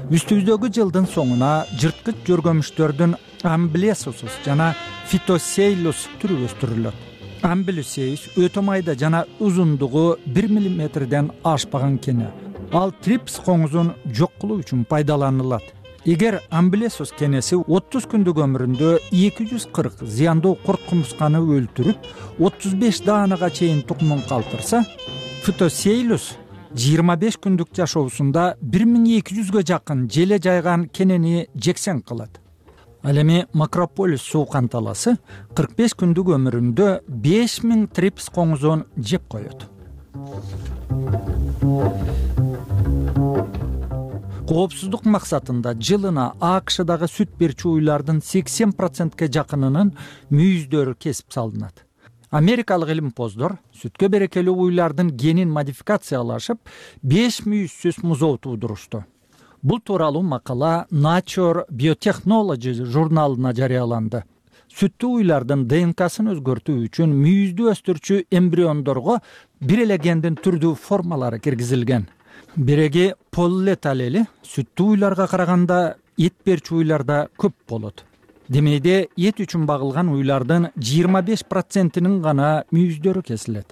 үстүбүздөгү жылдын соңуна жырткыч жөргөмүштөрдүн амблесусус жана фитосейлус түрү өстүрүлөт. Амблесеус өтө майда жана узундугу бир миллиметрден ашпаган кене. Ал трипс коңузун жок кылуу үчүн пайдаланылат. Эгер амблесус кенеси отуз күндүк өмүрүндө эки жүз кырк зыяндуу курт кумурсканы өлтүрүп, отуз беш даанага чейин тукумун калтырса, фитосейлус жыйырма беш күндүк жашоосунда бир миң эки жүзгө жакын желе жайган кенени жексен кылат. Ал эми макрополис суу канталасы кырк беш күндүк өмүрүндө беш миң трипс коңузун жеп коет. Коопсуздук максатында жылына АКШдагы сүт берчү уйлардын сексен процентке жакынынын мүйүздөрү кесип салынат. Америкалык илимпоздор сүткө берекелүү уйлардын генин модификациялашып, беш мүйүзсүз музоо туудурушту. Бул тууралуу макала Nature Biotechnology журналына жарыяланды. Сүттүү уйлардын ДНКсын өзгөртүү үчүн мүйүздү өстүрчү эмбриондорго бир эле гендин түрдүү формалары киргизилген. Биреги поллет алели сүттүү уйларга караганда эт берчү уйларда көп болот. Демейде эт үчүн багылган уйлардын жыйырма беш процентинин гана мүйүздөрү кесилет.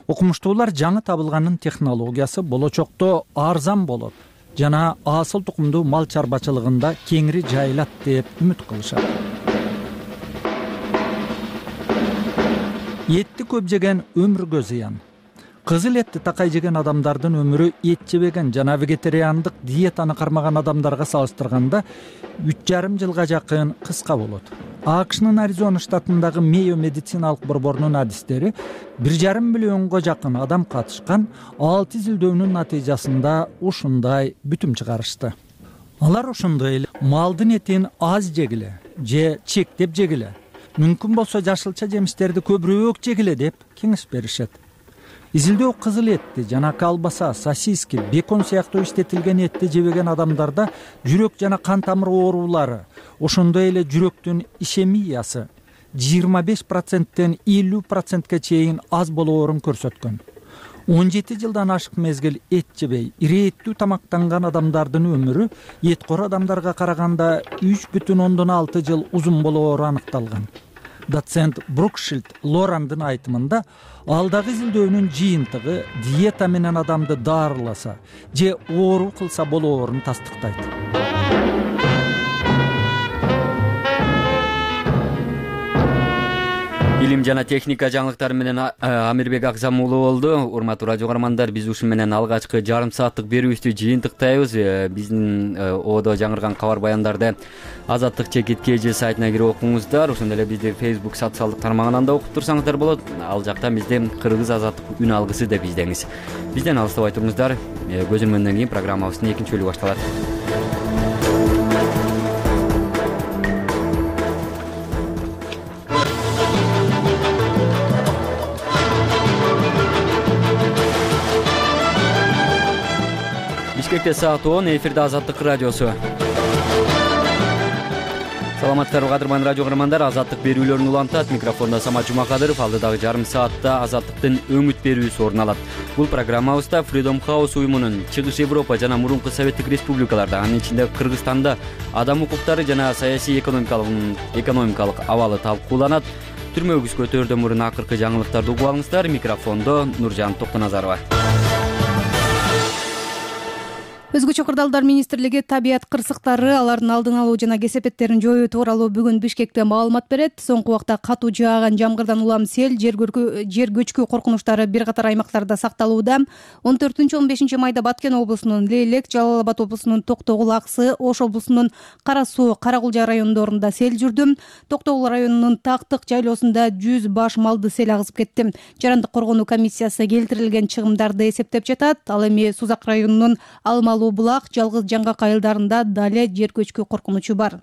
Окумуштуулар жаңы табылганын технологиясы болочокто арзан болот жана асыл тукумдуу мал чарбачылыгында кеңири жайылат деп үмүт кылышат. Этти көп жеген өмүргө зыян. Кызыл этти такай жеген адамдардын өмүрү эт жебеген жана вегетариандык диетаны кармаган адамдарга салыштырганда үч жарым жылга жакын кыска болот. АКШнын Аризона штатындагы Мейо медициналык борборунун адистери бир жарым миллионго жакын адам катышкан алты изилдөөнүн натыйжасында ушундай бүтүм чыгарышты. Алар ошондой эле малдын этин аз жегиле же чектеп жегиле, мүмкүн болсо жашылча жемиштерди көбүрөөк жегиле деп кеңеш беришет. Изилдөө кызыл этти жана колбаса, сосиски, бекон сыяктуу иштетилген этти жебеген адамдарда жүрөк жана кан тамыр оорулары, ошондой эле жүрөктүн ишемиясы жыйырма беш проценттен элүү процентке чейин аз болоорун көрсөткөн. он жети жылдан ашык мезгил эт жебей ирээттүү тамактанган адамдардын өмүрү эткор адамдарга караганда үч бүтүн ондон алты жыл узун болоору аныкталган. Доцент Брукшилд Лорандын айтымында алдагы изилдөөнүн жыйынтыгы диета менен адамды даарыласа же оору кылса болоорун тастыктайт. Илим жана техника жаңылыктары менен Амирбек Акзам уулу болду. Урматтуу радио каармандар, биз ушун менен алгачкы жарым сааттык берүүбүздү жыйынтыктайбыз. Биздин одо жаңырган кабар баяндарды Азаттык чекит кж сайтына кирип окуңуздар. Ошондой эле бизди Facebook социалдык тармагынан да окуп турсаңыздар болот. Ал жакта бизди Кыргыз Азаттык үн алгысы деп издеңиз. Бизден алыстабай туруңуздар. Көз ирмөндөн кийин программабыздын экинчи бөлүгү башталат. Бишкекте саат он, эфирде Азаттык радиосу. Саламатсыздарбы кадырман радио каармандар, Азаттык берүүлөрүн улантат. Микрофондо Самат Жумакадыров. Алдыдагы жарым саатта Азаттыктын өңүт берүүсү орун алат. Бул программабызда Freedom House уюмунун Чыгыш Европа жана мурунку Советтик Республикаларда, анын ичинде Кыргызстанда адам укуктары жана саясий экономикалык экономикалык абалы талкууланат. Түрмөгүз көтөрүүдөн мурун акыркы жаңылыктарды угуп алыңыздар. Микрофондо Нуржан Токтоназарова. Өзгөчө кырдаалдар министрлиги табият кырсыктары, алардын алдын алуу жана кесепеттерин жоюу тууралуу бүгүн Бишкекте маалымат берет. Соңку убакта катуу жааган жамгырдан улам сел, жер көчкү коркунучтары бир катар аймактарда сакталууда. он төртүнчү он бешинчи майда Баткен облусунун Лейлек, Жалал Абад облусунун Токтогул, Аксы, Ош облусунун Кара Суу, Карагулжа райондорунда сел жүрдү. Токтогул районунун Тактык жайлоосунда жүз баш малды сел агызып кетти. Жарандык коргонуу комиссиясы келтирилген чыгымдарды эсептеп жатат. Ал эми Сузак районунун Алмалы Булак, Жалгыз Жаңгак айылдарында дале жер көчкү коркунучу бар.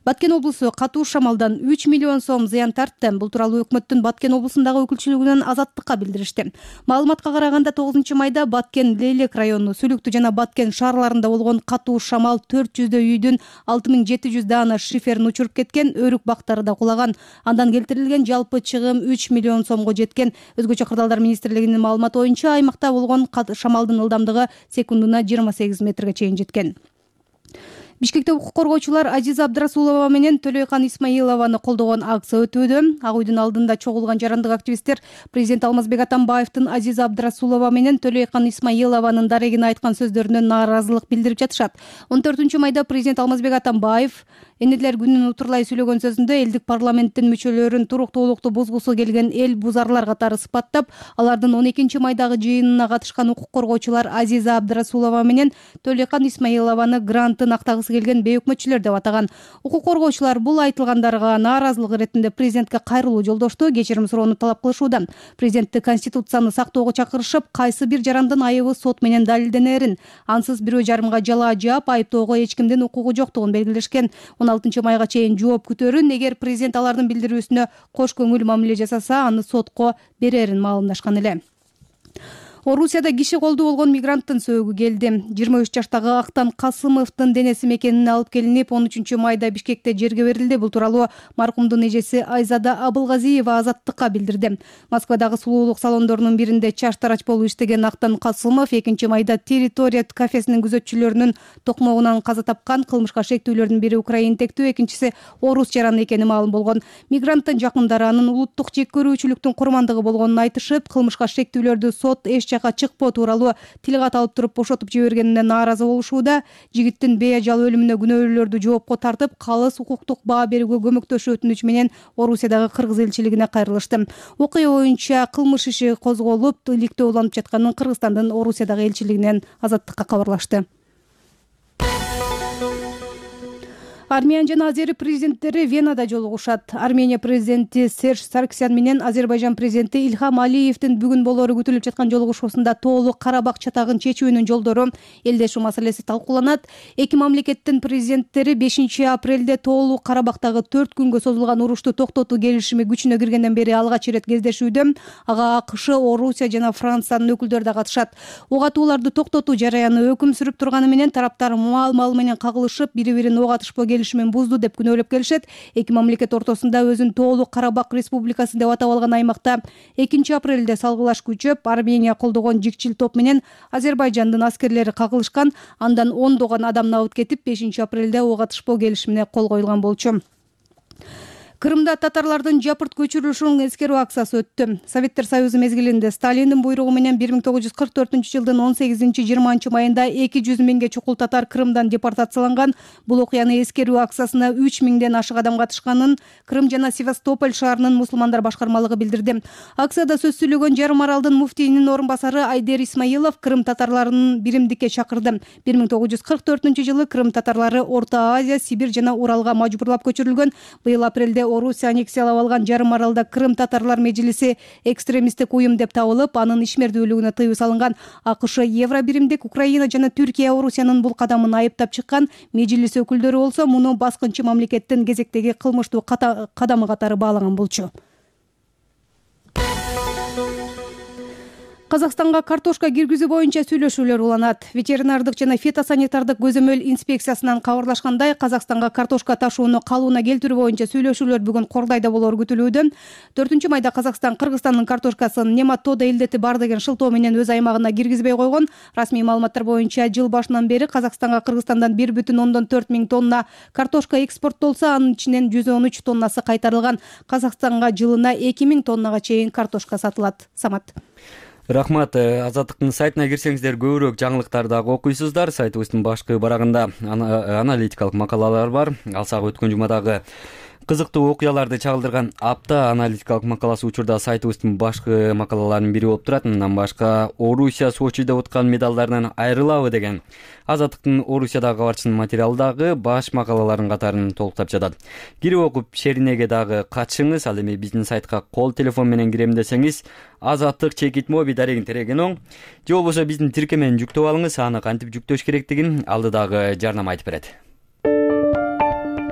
Баткен облусу катуу шамалдан үч миллион сом зыян тартты. Бул тууралуу өкмөттүн Баткен облусундагы өкүлчүлүгүнөн Азаттыкка билдиришти. Маалыматка караганда тогузунчу майда Баткен Лейлек району, Сүлүктү жана Баткен шаарларында болгон катуу шамал төрт жүздөй үйдүн алты миң жети жүз даана шиферин учуруп кеткен, өрүк бактары да кулаган. Андан келтирилген жалпы чыгым үч миллион сомго жеткен. Өзгөчө кырдаалдар министрлигинин маалыматы боюнча аймакта болгон шамалдын ылдамдыгы секундуна жыйырма сегиз метрге чейин жеткен. Бишкекте укук коргоочулар Азиза Абдрасулова менен Төлөйкан Исмаилованы колдогон акция өтүүдө. Ак үйдүн алдында чогулган жарандык активисттер президент Алмазбек Атамбаевдин Азиза Абдрасулова менен Төлөйкан Исмаилованын дарегине айткан сөздөрүнө нааразылык билдирип жатышат. он төртүнчү майда президент Алмазбек Атамбаев Энелер күнүн утурлай сүйлөгөн сөзүндө элдик парламенттин мүчөлөрүн туруктуулукту бузгусу келген эл бузарлар катары сыпаттап, алардын он экинчи майдагы жыйынына катышкан укук коргоочулар Азиза Абдрасулова менен Төлөйкан Исмаилованы грантын актагысы келген бейөкмөтчүлөр деп атаган. Укук коргоочулар бул айтылгандарга нааразылык иретинде президентке кайрылуу жолдошту, кечирим суроону талап кылышууда. Президентти конституцияны сактоого чакырышып, кайсы бир жарандын айыбы сот менен далилденерин, ансыз бирөө жарымга жалаа жаап, айыптоого эч кимдин укугу жоктугун белгилешкен. он алтынчы майга чейин жооп күтөрүн, эгер президент алардын билдирүүсүнө кош көңүл мамиле жасаса, аны сотко берерин маалымдашкан эле. Орусияда киши колду болгон мигранттын сөөгү келди. жыйырма үч жаштагы Актан Касымовдун денеси мекенине алып келинип, он үчүнчү майда Бишкекте жерге берилди. Бул тууралуу маркумдун эжеси Айзада Абылгазиева Азаттыкка билдирди. Москвадагы сулуулук салондорунун биринде чаштарач болуп иштеген Актан Касымов экинчи майда территория кафесинин күзөтчүлөрүнүн токмогунан каза тапкан. Кылмышка шектүүлөрдүн бири украинтектүү, экинчиси орус жаран экени маалым болгон. Мигранттын жакындары анын улуттук жек көрүүчүлүктүн курмандыгы болгонун айтышып, кылмышка шектүүлөрдү сот эч жака чыкпоо тууралуу тил кат алып туруп бошотуп жибергенине нааразы болушууда. Жигиттин бейажал өлүмүнө күнөөлүүлөрдү жоопко тартып, калыс укуктук баа берүүгө көмөктөшүү өтүнүчү менен Орусиядагы кыргыз элчилигине кайрылышты. Окуя боюнча кылмыш иши козголуп, иликтөө уланып жатканын Кыргызстандын Орусиядагы элчилигинен Азаттыкка кабарлашты. Армения жана Азер президенттери Венада жолугушат. Армения президенти Серж Саркисян менен Азербайжан президенти Илхам Алиевдин бүгүн болоору күтүлүп жаткан жолугушуусунда тоолук Карабак чатагын чечүүнүн жолдору, элдешүү маселеси талкууланат. Эки мамлекеттин президенттери бешинчи апрелде тоолук Карабактагы төрт күнгө созулган урушту токтотуу келишими күчүнө киргенден бери алгач ирет кездешүүдө. Ага АКШ, Орусия жана Франциянын өкүлдөрү да катышат. Ок атууларды токтотуу жараяны өкүм сүрүп турганы менен тараптар маал-маал менен кагылышып, бири-бирин ок атышпоо келишимин бузду деп күнөөлөп келишет. Эки мамлекет ортосунда өзүн тоолук Карабак Республикасы деп атап алган аймакта экинчи апрелде салгылаш күчөп, Армения колдогон жикчил топ менен Азербайжандын аскерлери кагылышкан. Андан ондогон адам набыт кетип, бешинчи апрелде ок атышпоо келишимине кол коюлган болчу. Крымда татарлардын жапырт көчүрүлүшүнүн эскерүү акциясы өттү. Советтер Союзу мезгилинде Сталиндин буйругу менен бир миң тогуз жүз кырк төртүнчү жылдын он сегизинчи жыйырманчы майында эки жүз миңге чукул татар Крымдан депортацияланган. Бул окуяны эскерүү акциясына үч миңден ашык адам катышканын Крым жана Севастополь шаарынын мусулмандар башкармалыгы билдирди. Акцияда сөз сүйлөгөн Жарым Аралдын муфтийинин орун басары Айдер Исмаилов Крым татарларын биримдикке чакырды. бир миң тогуз жүз кырк төртүнчү жылы Крым татарлары Орто Азия, Сибирь жана Уралга мажбурлап көчүрүлгөн. Быйыл апрелде Орусия аннексиялап алган Жарым Аралда Крым татарлар межлиси экстремисттик уюм деп табылып, анын ишмердүүлүгүнө тыюу салынган. АКШ, Евробиримдик, Украина жана Түркия Орусиянын бул кадамын айыптап чыккан. Межлис өкүлдөрү болсо муну баскынчы мамлекеттин кезектеги кылмыштуу кадамы катары баалаган болчу. Казакстанга картошка киргизүү боюнча сүйлөшүүлөр уланат. Ветеринардык жана фитосанитардык көзөмөл инспекциясынан кабарлашкандай, Казакстанга картошка ташууну калыбына келтирүү боюнча сүйлөшүүлөр бүгүн Кордайда болоор күтүлүүдө. төртүнчү майда Казакстан Кыргызстандын картошкасын нематода илдети бар деген шылтоо менен өз аймагына киргизбей койгон. Расмий маалыматтар боюнча жыл башынан бери Казакстанга Кыргызстандан бир бүтүн ондон төрт миң тонна картошка экспорттолсо, анын ичинен жүз он үч тоннасы кайтарылган. Казакстанга жылына эки миң тоннага чейин картошка сатылат. Самат. Рахмат. Азаттыктын сайтына кирсеңиздер көбүрөөк жаңылыктарды дагы окуйсуздар. Сайтыбыздын башкы барагында аналитикалык макалалар бар. Алсак өткөн жумадагы кызыктуу окуяларды чагылдырган апта аналитикалык макаласы учурда сайтыбыздын башкы макалаларынын бири болуп турат. Мындан башка Орусия Сочиде уткан медалдарынан айрылабы деген Азаттыктын Орусиядагы кабарчынын материалы дагы баш макалалардын катарын толуктап жатат. Кирип окуп шеринеге дагы катышыңыз. Ал эми биздин сайтка кол телефон менен кирем десеңиз азаттык чекит моби дарегин тереген оң. Же болбосо биздин тиркемени жүктөп алыңыз. Аны кантип жүктөш керектигин алдыдагы жарнама айтып берет.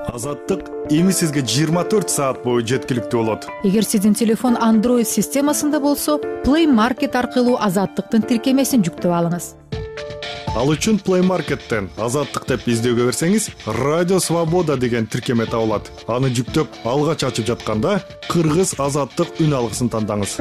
Азаттык эми сизге жыйырма төрт саат бою жеткиликтүү болот. Эгер сиздин телефон Android системасында болсо, Play Market аркылуу Азаттыктын тиркемесин жүктөп алыңыз. Ал үчүн Play Market'тен Азаттык деп издөөгө берсеңиз, Радио Свобода деген тиркеме табылат. Аны жүктөп алгач ачып жатканда Кыргыз Азаттык үн алгысын тандаңыз.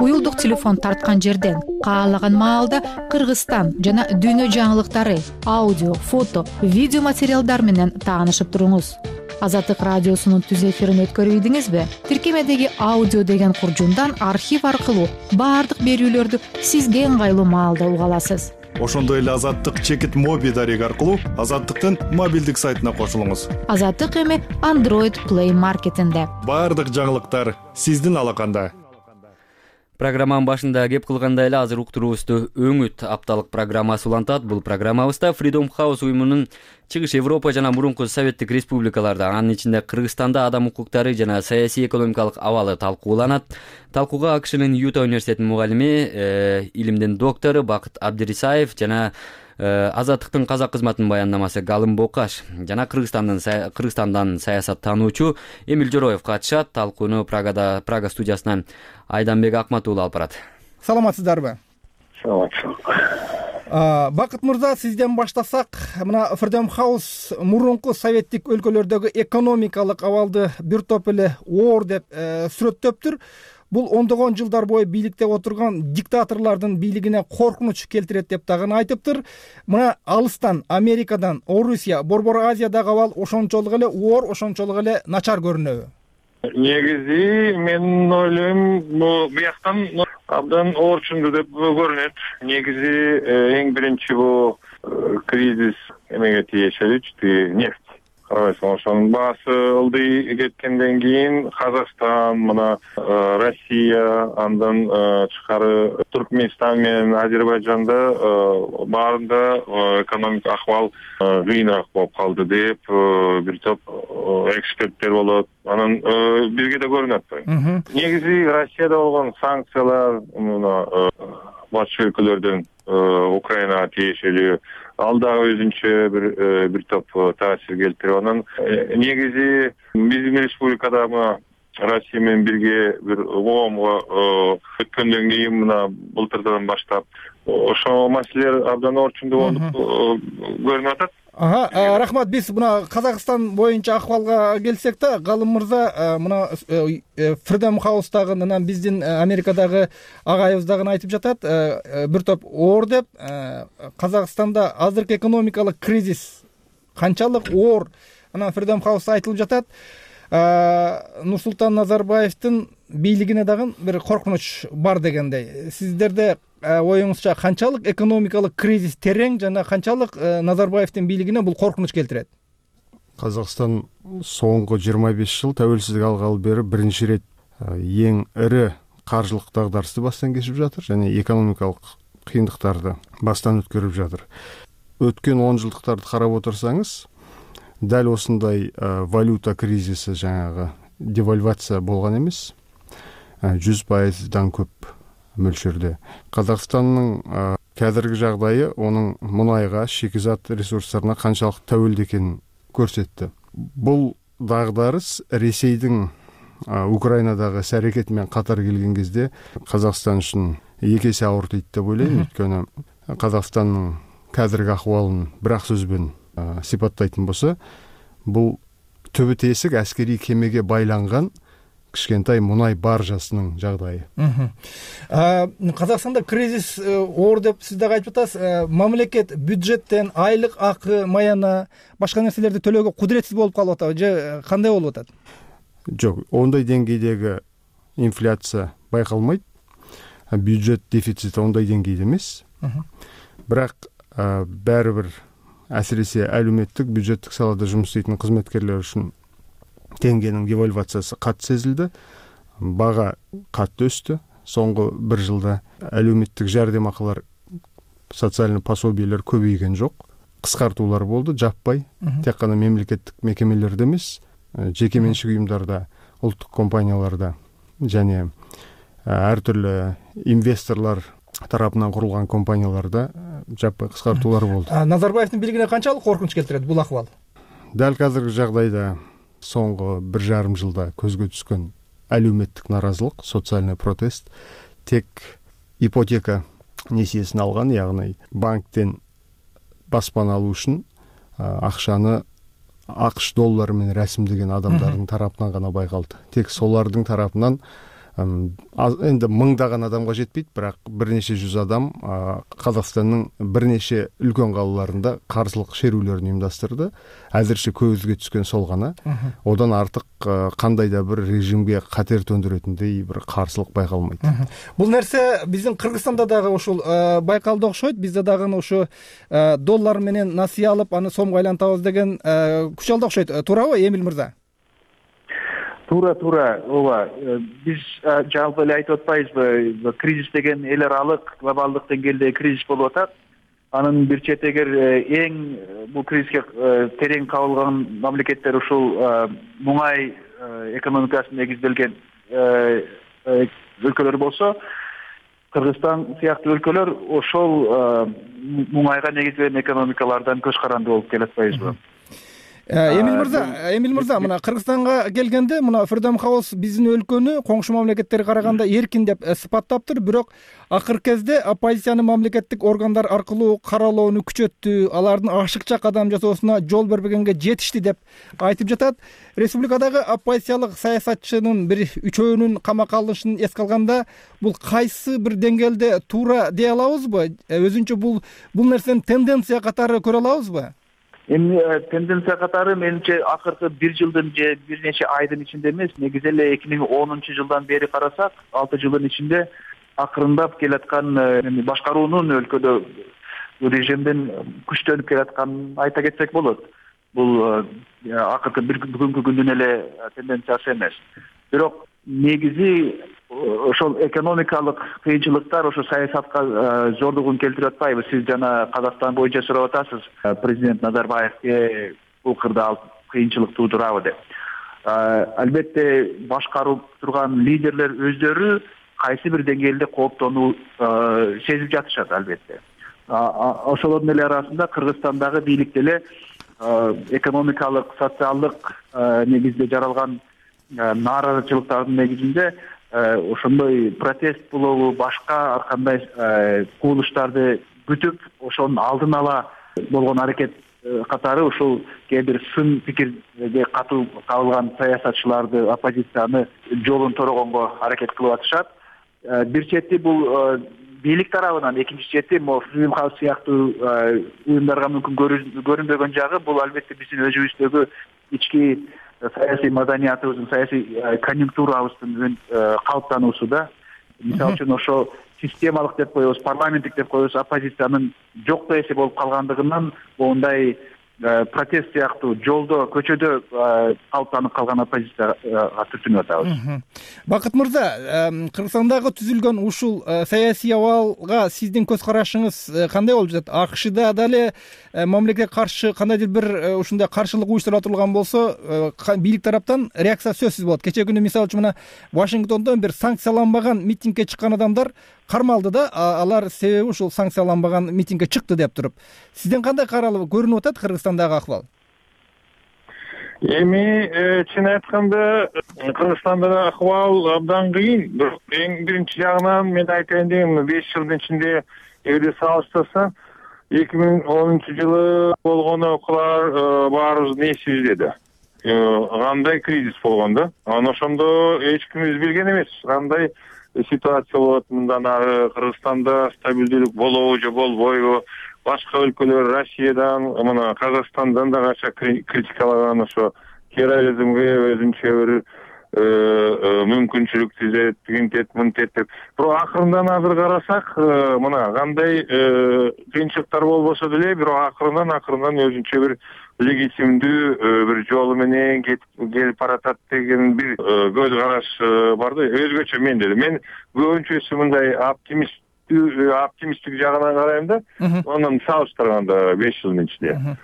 Уюлдук телефон тарткан жерден каалаган маалда Кыргызстан жана дүйнө жаңылыктары, аудио, фото, видео материалдар менен таанышып туруңуз. Азаттык радиосунун түз эфирин өткөрүп ийдиңизби? Тиркемедеги аудио деген куржундан архив аркылуу баардык берүүлөрдү сизге ыңгайлуу маалда уга аласыз. Ошондой эле Азаттык чекит моби дареги аркылуу Азаттыктын мобилдик сайтына кошулуңуз. Азаттык эми Android Play Market'инде. Баардык жаңылыктар сиздин алаканда. Программанын башында кеп кылгандай эле азыр уктуруубузду Өңүт апталык программасы улантат. Бул программабызда Freedom House уюмунун чыгыш Европа жана мурунку Советтик республикаларда, анын ичинде Кыргызстанда адам укуктары жана саясий экономикалык абалы талкууланат. Талкууга АКШнын Юта университетинин мугалими, илимдин доктору Бакыт Абдирисаев жана Азаттыктын казак кызматынын баяндамасы Галым Бокаш жана Кыргызстандын Кыргызстандан саясаттануучу Эмил Жороев катышат. Талкууну Прагада Прага студиясынан Айданбек Акматуулу алып барат. Саламатсыздарбы? Саламатсыз. Бакыт мырза, сизден баштасак, мына Freedom House мурунку советтик өлкөлөрдөгү экономикалык абалды бир топ эле оор деп сүрөттөптүр. Бул ондогон жылдар бою бийликте отурган диктаторлордун бийлигине коркунуч келтирет деп дагы айтыптыр. Мына алыстан, Америкадан, Орусия, Борбор Азиядагы абал ошончолук эле оор, ошончолук эле начар көрүнөбү? Негизи мен ойлойм, бияктан абдан оорчунду деп көрүнөт. Негизи эң биринчи бул кризис эмеге тиешелүү, нефть. Ошонун баасы ылдый кеткенден кийин Казакстан, мына Россия, андан тышкары Түркмөнстан менен Азербайжанда баарында экономик акыбал кыйыныраак болуп калды деп бир топ эксперттер болот. Анан бизге да көрүнүп атпайбы? Негизи Россияда болгон санкциялар мына батыш өлкөлөрдөн Украинага тиешелүү, ал дагы өзүнчө бир бир топ таасир келтирип, анан негизи биздин республикада мына Россия менен бирге бир коомго өткөндөн кийин мына былтырдан баштап ошол маселелер абдан орчундуу болуп көрүнүп атат. ага рахмат. Биз мына Казакстан боюнча акыбалга келсек да, Галым мырза мына Freedom House'дагы анан биздин Америкадагы агайыбыз дагы айтып жатат, бир топ оор деп. Казакстанда азыркы экономикалык кризис канчалык оор, анан Freedom House айтылып жатат. Нурсултан Назарбаевдин бийлигине дагы бир коркунуч бар дегендей. Сиздерде оюңузча канчалык экономикалык кризис терең жана канчалык Назарбаевдин бийлигине бул коркунуч келтирет? Казакстан соңку жыйырма беш жыл тәуелсиздик алгалы бери биринчи ирет эң ири каржылык дагдарысты баштан кечирип жатыр жана экономикалык кыйындыктарды баштан өткөрүп жатыр. Өткөн он жылдыктарды карап отурсаңыз, дал осындай валюта кризиси, жаңагы девальвация болгон эмес. жүз пайыздан көп мөлшөрдө. Казакстандын қазіргі жагдайы онун мунайга, шикизат ресурстарына канчалык тәуелді экенин көрсөттү. Бул дагдарыс Ресейдин Украинадагы іс аракети менен катар келген кезде Казакстан үчүн эки эсе ауыр дейт деп ойлойм. Өйткөнү Казакстандын қазіргі акыбалын бир ак сөз менен сипаттайтын болсо, бул түбү тесик аскерий кемеге байланган кичкентай мунай баржасынын жагдайы. Казакстанда кризис оор деп сиз дагы айтып атасыз. Мамлекет бюджеттен айлык акы, маяна, башка нерселерди төлөөгө кудуретсиз болуп калып атабы же кандай болуп атат? Жок, ондай деңгейдеги инфляция байкалмайт. Бюджет дефицити ондай деңгейде эмес. Бирок баары бир әсіресе әлеуметтік бюджеттік салада жұмыс істейтін қызметкерлер үшін теңгенің девальвациясы қатты сезілді. Баға қатты өсті. Соңғы бір жылда әлеуметтік жәрдемақылар, социальный пособиелер көбейген жоқ. Қысқартулар болды, жаппай. Тек қана мемлекеттік мекемелерде емес, жеке меншік ұйымдарда, ұлттық компанияларда және әртүрлі инвесторлар тарапынан курулган компанияларда жаппай кыскартуулар болду. Назарбаевдин бийлигине канчалык коркунуч келтирет бул акыбал? Дал азыркы жагдайда соңку бир жарым жылда көзгө түскөн әлеуметтик наразылык, социальный протест тек ипотека несиесин алган, ягни банктен баспана алуу үчүн акчаны акш доллары менен расмдеген адамдардын тарапынан гана байкалды. Тек солардын тарапынан енді мыңдаған адамға жетпейді, бірақ бірнеше жүз адам Қазақстанның бірнеше үлкен қалаларында қарсылық шерулерін ұйымдастырды. Әзірше көзге түскен сол ғана. Одан артық қандай да бір режимге қатер төндіретіндей бір қарсылық байқалмайды. Бұл нәрсе біздің Қырғызстанда дағы ошол байқалды окшойт. Бізде дағы ошо доллар менен насыя алып, аны сомго айлантабыз деген күч алды окшойт. Туурабы, Эмил мырза? Туура, туура, ооба. Биз жалпы эле айтып атпайбызбы, кризис деген эл аралык глобалдык деңгээлде кризис болуп атат. Анын бир четегер эң бул кризиске терең кабылган мамлекеттер ушул муңай экономикасына негизделген өлкөлөр болсо, Кыргызстан сыяктуу өлкөлөр ошол муңайга негизделген экономикалардан көз каранды болуп келатпайбызбы? Эмил мырза, Эмил мырза, мына Кыргызстанга келгенде, мына Freedom House биздин өлкөнү коңшу мамлекеттерге караганда эркин деп сыпаттаптыр, бирок акыркы кезде оппозициянын мамлекеттик органдар аркылуу каралоону күчөттү, алардын ашыкча кадам жасоосуна жол бербегенге жетишти деп айтып жатат. Республикадагы оппозициялык саясатчынын бир үчөөнүн камакка алынышын эске алганда, бул кайсы бир деңгээлде туура дей алабызбы? Өзүнчө бул бул нерсени тенденция катары көрө алабызбы? Эми тенденция катары менимче акыркы бир жылдын же бир нече айдын ичинде эмес, негизи эле эки миң онунчу жылдан бери карасак, алты жылдын ичинде акырындап келаткан башкаруунун өлкөдө режимдин күчтөнүп келатканын айта кетсек болот. Бул акыркы бир бүгүнкү күндүн эле тенденциясы эмес. Бирок негизи ошол экономикалык кыйынчылыктар ошо саясатка зордугун келтирип атпайбы? Сиз жана Казакстан боюнча сурап атасыз, президент Назарбаевге бул кырдаал кыйынчылык туудурабы деп. Албетте башкарып турган лидерлер өздөрү кайсы бир деңгээлде кооптонуу сезип жатышат албетте. Ошолордун эле арасында Кыргызстандагы бийлик деле экономикалык, социалдык негизде жаралган нааразычылыктардын негизинде ошондой протест болобу, башка ар кандай кубулуштарды күтүп, ошонун алдын ала болгон аракет катары ушул кээ бир сын пикирге катуу кабылган саясатчыларды, оппозицияны жолун торогонго аракет кылып атышат. Бир чети бул бийлик тарабынан, экинчи чети могу Freedom House сыяктуу уюмдарга мүмкүн көрүнбөгөн жагы бул албетте биздин өзүбүздөгү ички саясий маданиятыбыздын, саясий конъюнктурабыздын калыптануусу да. Мисалы үчүн ошо системалык деп коебуз, парламенттик деп коебуз, оппозициянын жокто эсе болуп калгандыгынан моундай протест сыяктуу жолдо, көчөдө калыптанып калган оппозицияга түртүнүп атабыз. Бакыт мырза, Кыргызстандагы түзүлгөн ушул саясий абалга сиздин көз карашыңыз кандай болуп жатат? АКШда дале мамлекетке каршы кандайдыр бир ушундай каршылык уюштурула турган болсо, бийлик тараптан реакция сөзсүз болот. Кечээ күнү мисалы үчүн мына Вашингтондон бир санкцияланбаган митингге чыккан адамдар кармалды да, алар себеби ушул санкцияланбаган митингге чыкты деп туруп. Сизден кандай каралып көрүнүп атат Кыргызстандагы акыбал? Эми чын айтканда Кыргызстандагы акыбал абдан кыйын. Бирок эң биринчи жагынан мен айтайын дегем, беш жылдын ичинде эгерде салыштырсаң, эки миң онунчу жылы болгон окуялар баарыбыздын эсибизде. Кандай кризис болгон да. Анан ошондо эч кимибиз билген эмес, кандай ситуация болот, мындан ары Кыргызстанда стабилдүүлүк болобу же болбойбу. Башка өлкөлөр Россиядан, мына Казакстандан да канча критикалаган ошо терроризмге өзүнчө бир мүмкүнчүлүк түзөт, тигинтет, мынтет деп. Бирок акырындан азыр карасак, мына кандай кыйынчылыктар болбосо деле, бирок акырындан акырындан өзүнчө бир легитимдүү бир жолу менен келип баратат деген бир көз караш бар да. Өзгөчө мен деле. Мен көбүнчөсү мындай оптимист оптимисттик жагынан карайм да. Анан салыштырганда беш жылдын ичинде.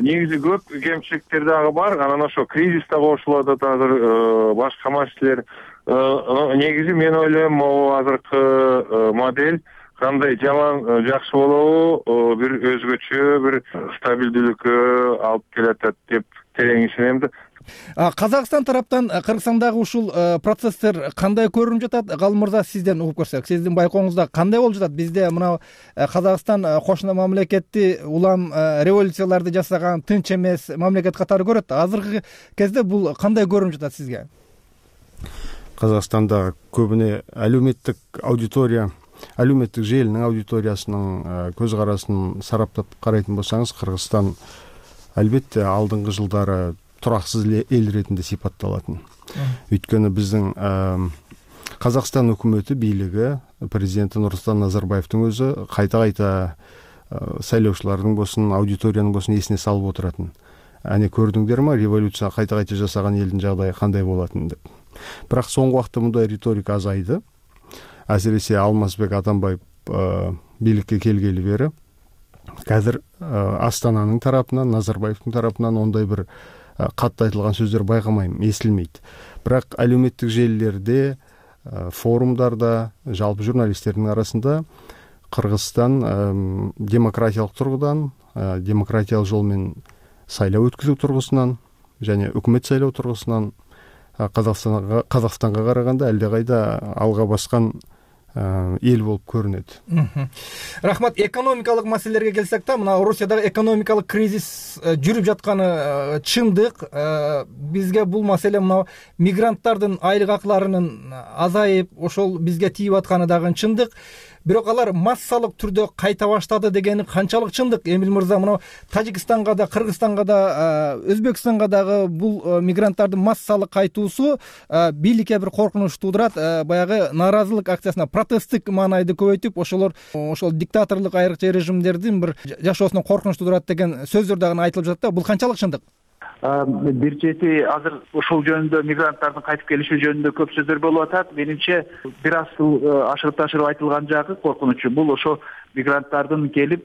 Негизи көп кемчиликтер дагы бар. Анан ошо кризис да кошулуп атат азыр, башка маселелер. Негизи мен ойлойм, могу азыркы модель кандай жаман жакшы болобу, бир өзгөчө бир стабилдүүлүккө алып келатат деп терең ишенем да. Казакстан тараптан Кыргызстандагы ушул процесстер кандай көрүнүп жатат? Галым мырза, сизден угуп көрсөк, сиздин байкооңузда кандай болуп жатат? Бизде мына Казакстан кошуна мамлекетти улам революцияларды жасаган тынч эмес мамлекет катары көрөт. Азыркы кезде бул кандай көрүнүп жатат сизге? Казакстанда көбүнө әлеуметтик аудитория, әлеуметтик желинин аудиториясынын көз карасын сараптап карайтын болсаңыз, Кыргызстан албетте алдыңкы жылдары тураксыз эл иретинде сипатталатын. Өйткөнү биздин Казакстан өкмөтү, бийлиги, президенти Нурсултан Назарбаевдин өзү кайта-кайта сайлоочулардын болсун, аудиториянын болсун эсине салып отуратын. Аны көрдүңдөрмү, революция кайта-кайта жасаган элдин жагдайы кандай болатынын деп. Бирок соңку убакта мындай риторика азайды. Асиресе Алмазбек Атамбаев бийликке келгели бери азыр Астананын тарапынан, Назарбаевдин тарапынан ондай бир катты айтылган сөздөр байкамайм, эсилмейт. Бирок әлеуметтик желилерде, форумдарда, жалпы журналисттердин арасында Кыргызстан демократиялык тургудан, демократиялык жол менен сайлоо өткүзүү тургусунан жана өкмөт сайлоо тургусунан Казакстанга Казакстанга караганда алда кайда алга баскан эл болуп көрүнөт. Рахмат. Экономикалык маселелерге келсек та, мына Орусиядагы экономикалык кризис жүрүп жатканы чындык. Бизге бул маселе мына мигранттардын айлык акыларынын азайып, ошол бизге тийип атканы дагы чындык. Бирок алар массалык түрдө кайта баштады дегени канчалык чындык? Эмил мырза, мына Тажикстанга да, Кыргызстанга да, Өзбекстанга дагы бул мигранттардын массалык кайтуусу бийликке бир коркунуч туудурат. Баягы нааразылык акциясына протесттик маанайды көбөйтүп, ошолор ошол диктаторлук айрыкча режимдердин бир жашоосуна коркунуч туудурат деген сөздөр дагы айтылып жатат да. Бул канчалык чындык? Бир чети азыр ушул жөнүндө, мигранттардын кайтып келиши жөнүндө көп сөздөр болуп атат. Менимче бир аз ашырып ташырып айтылган жагы коркунучу бул ошо мигранттардын келип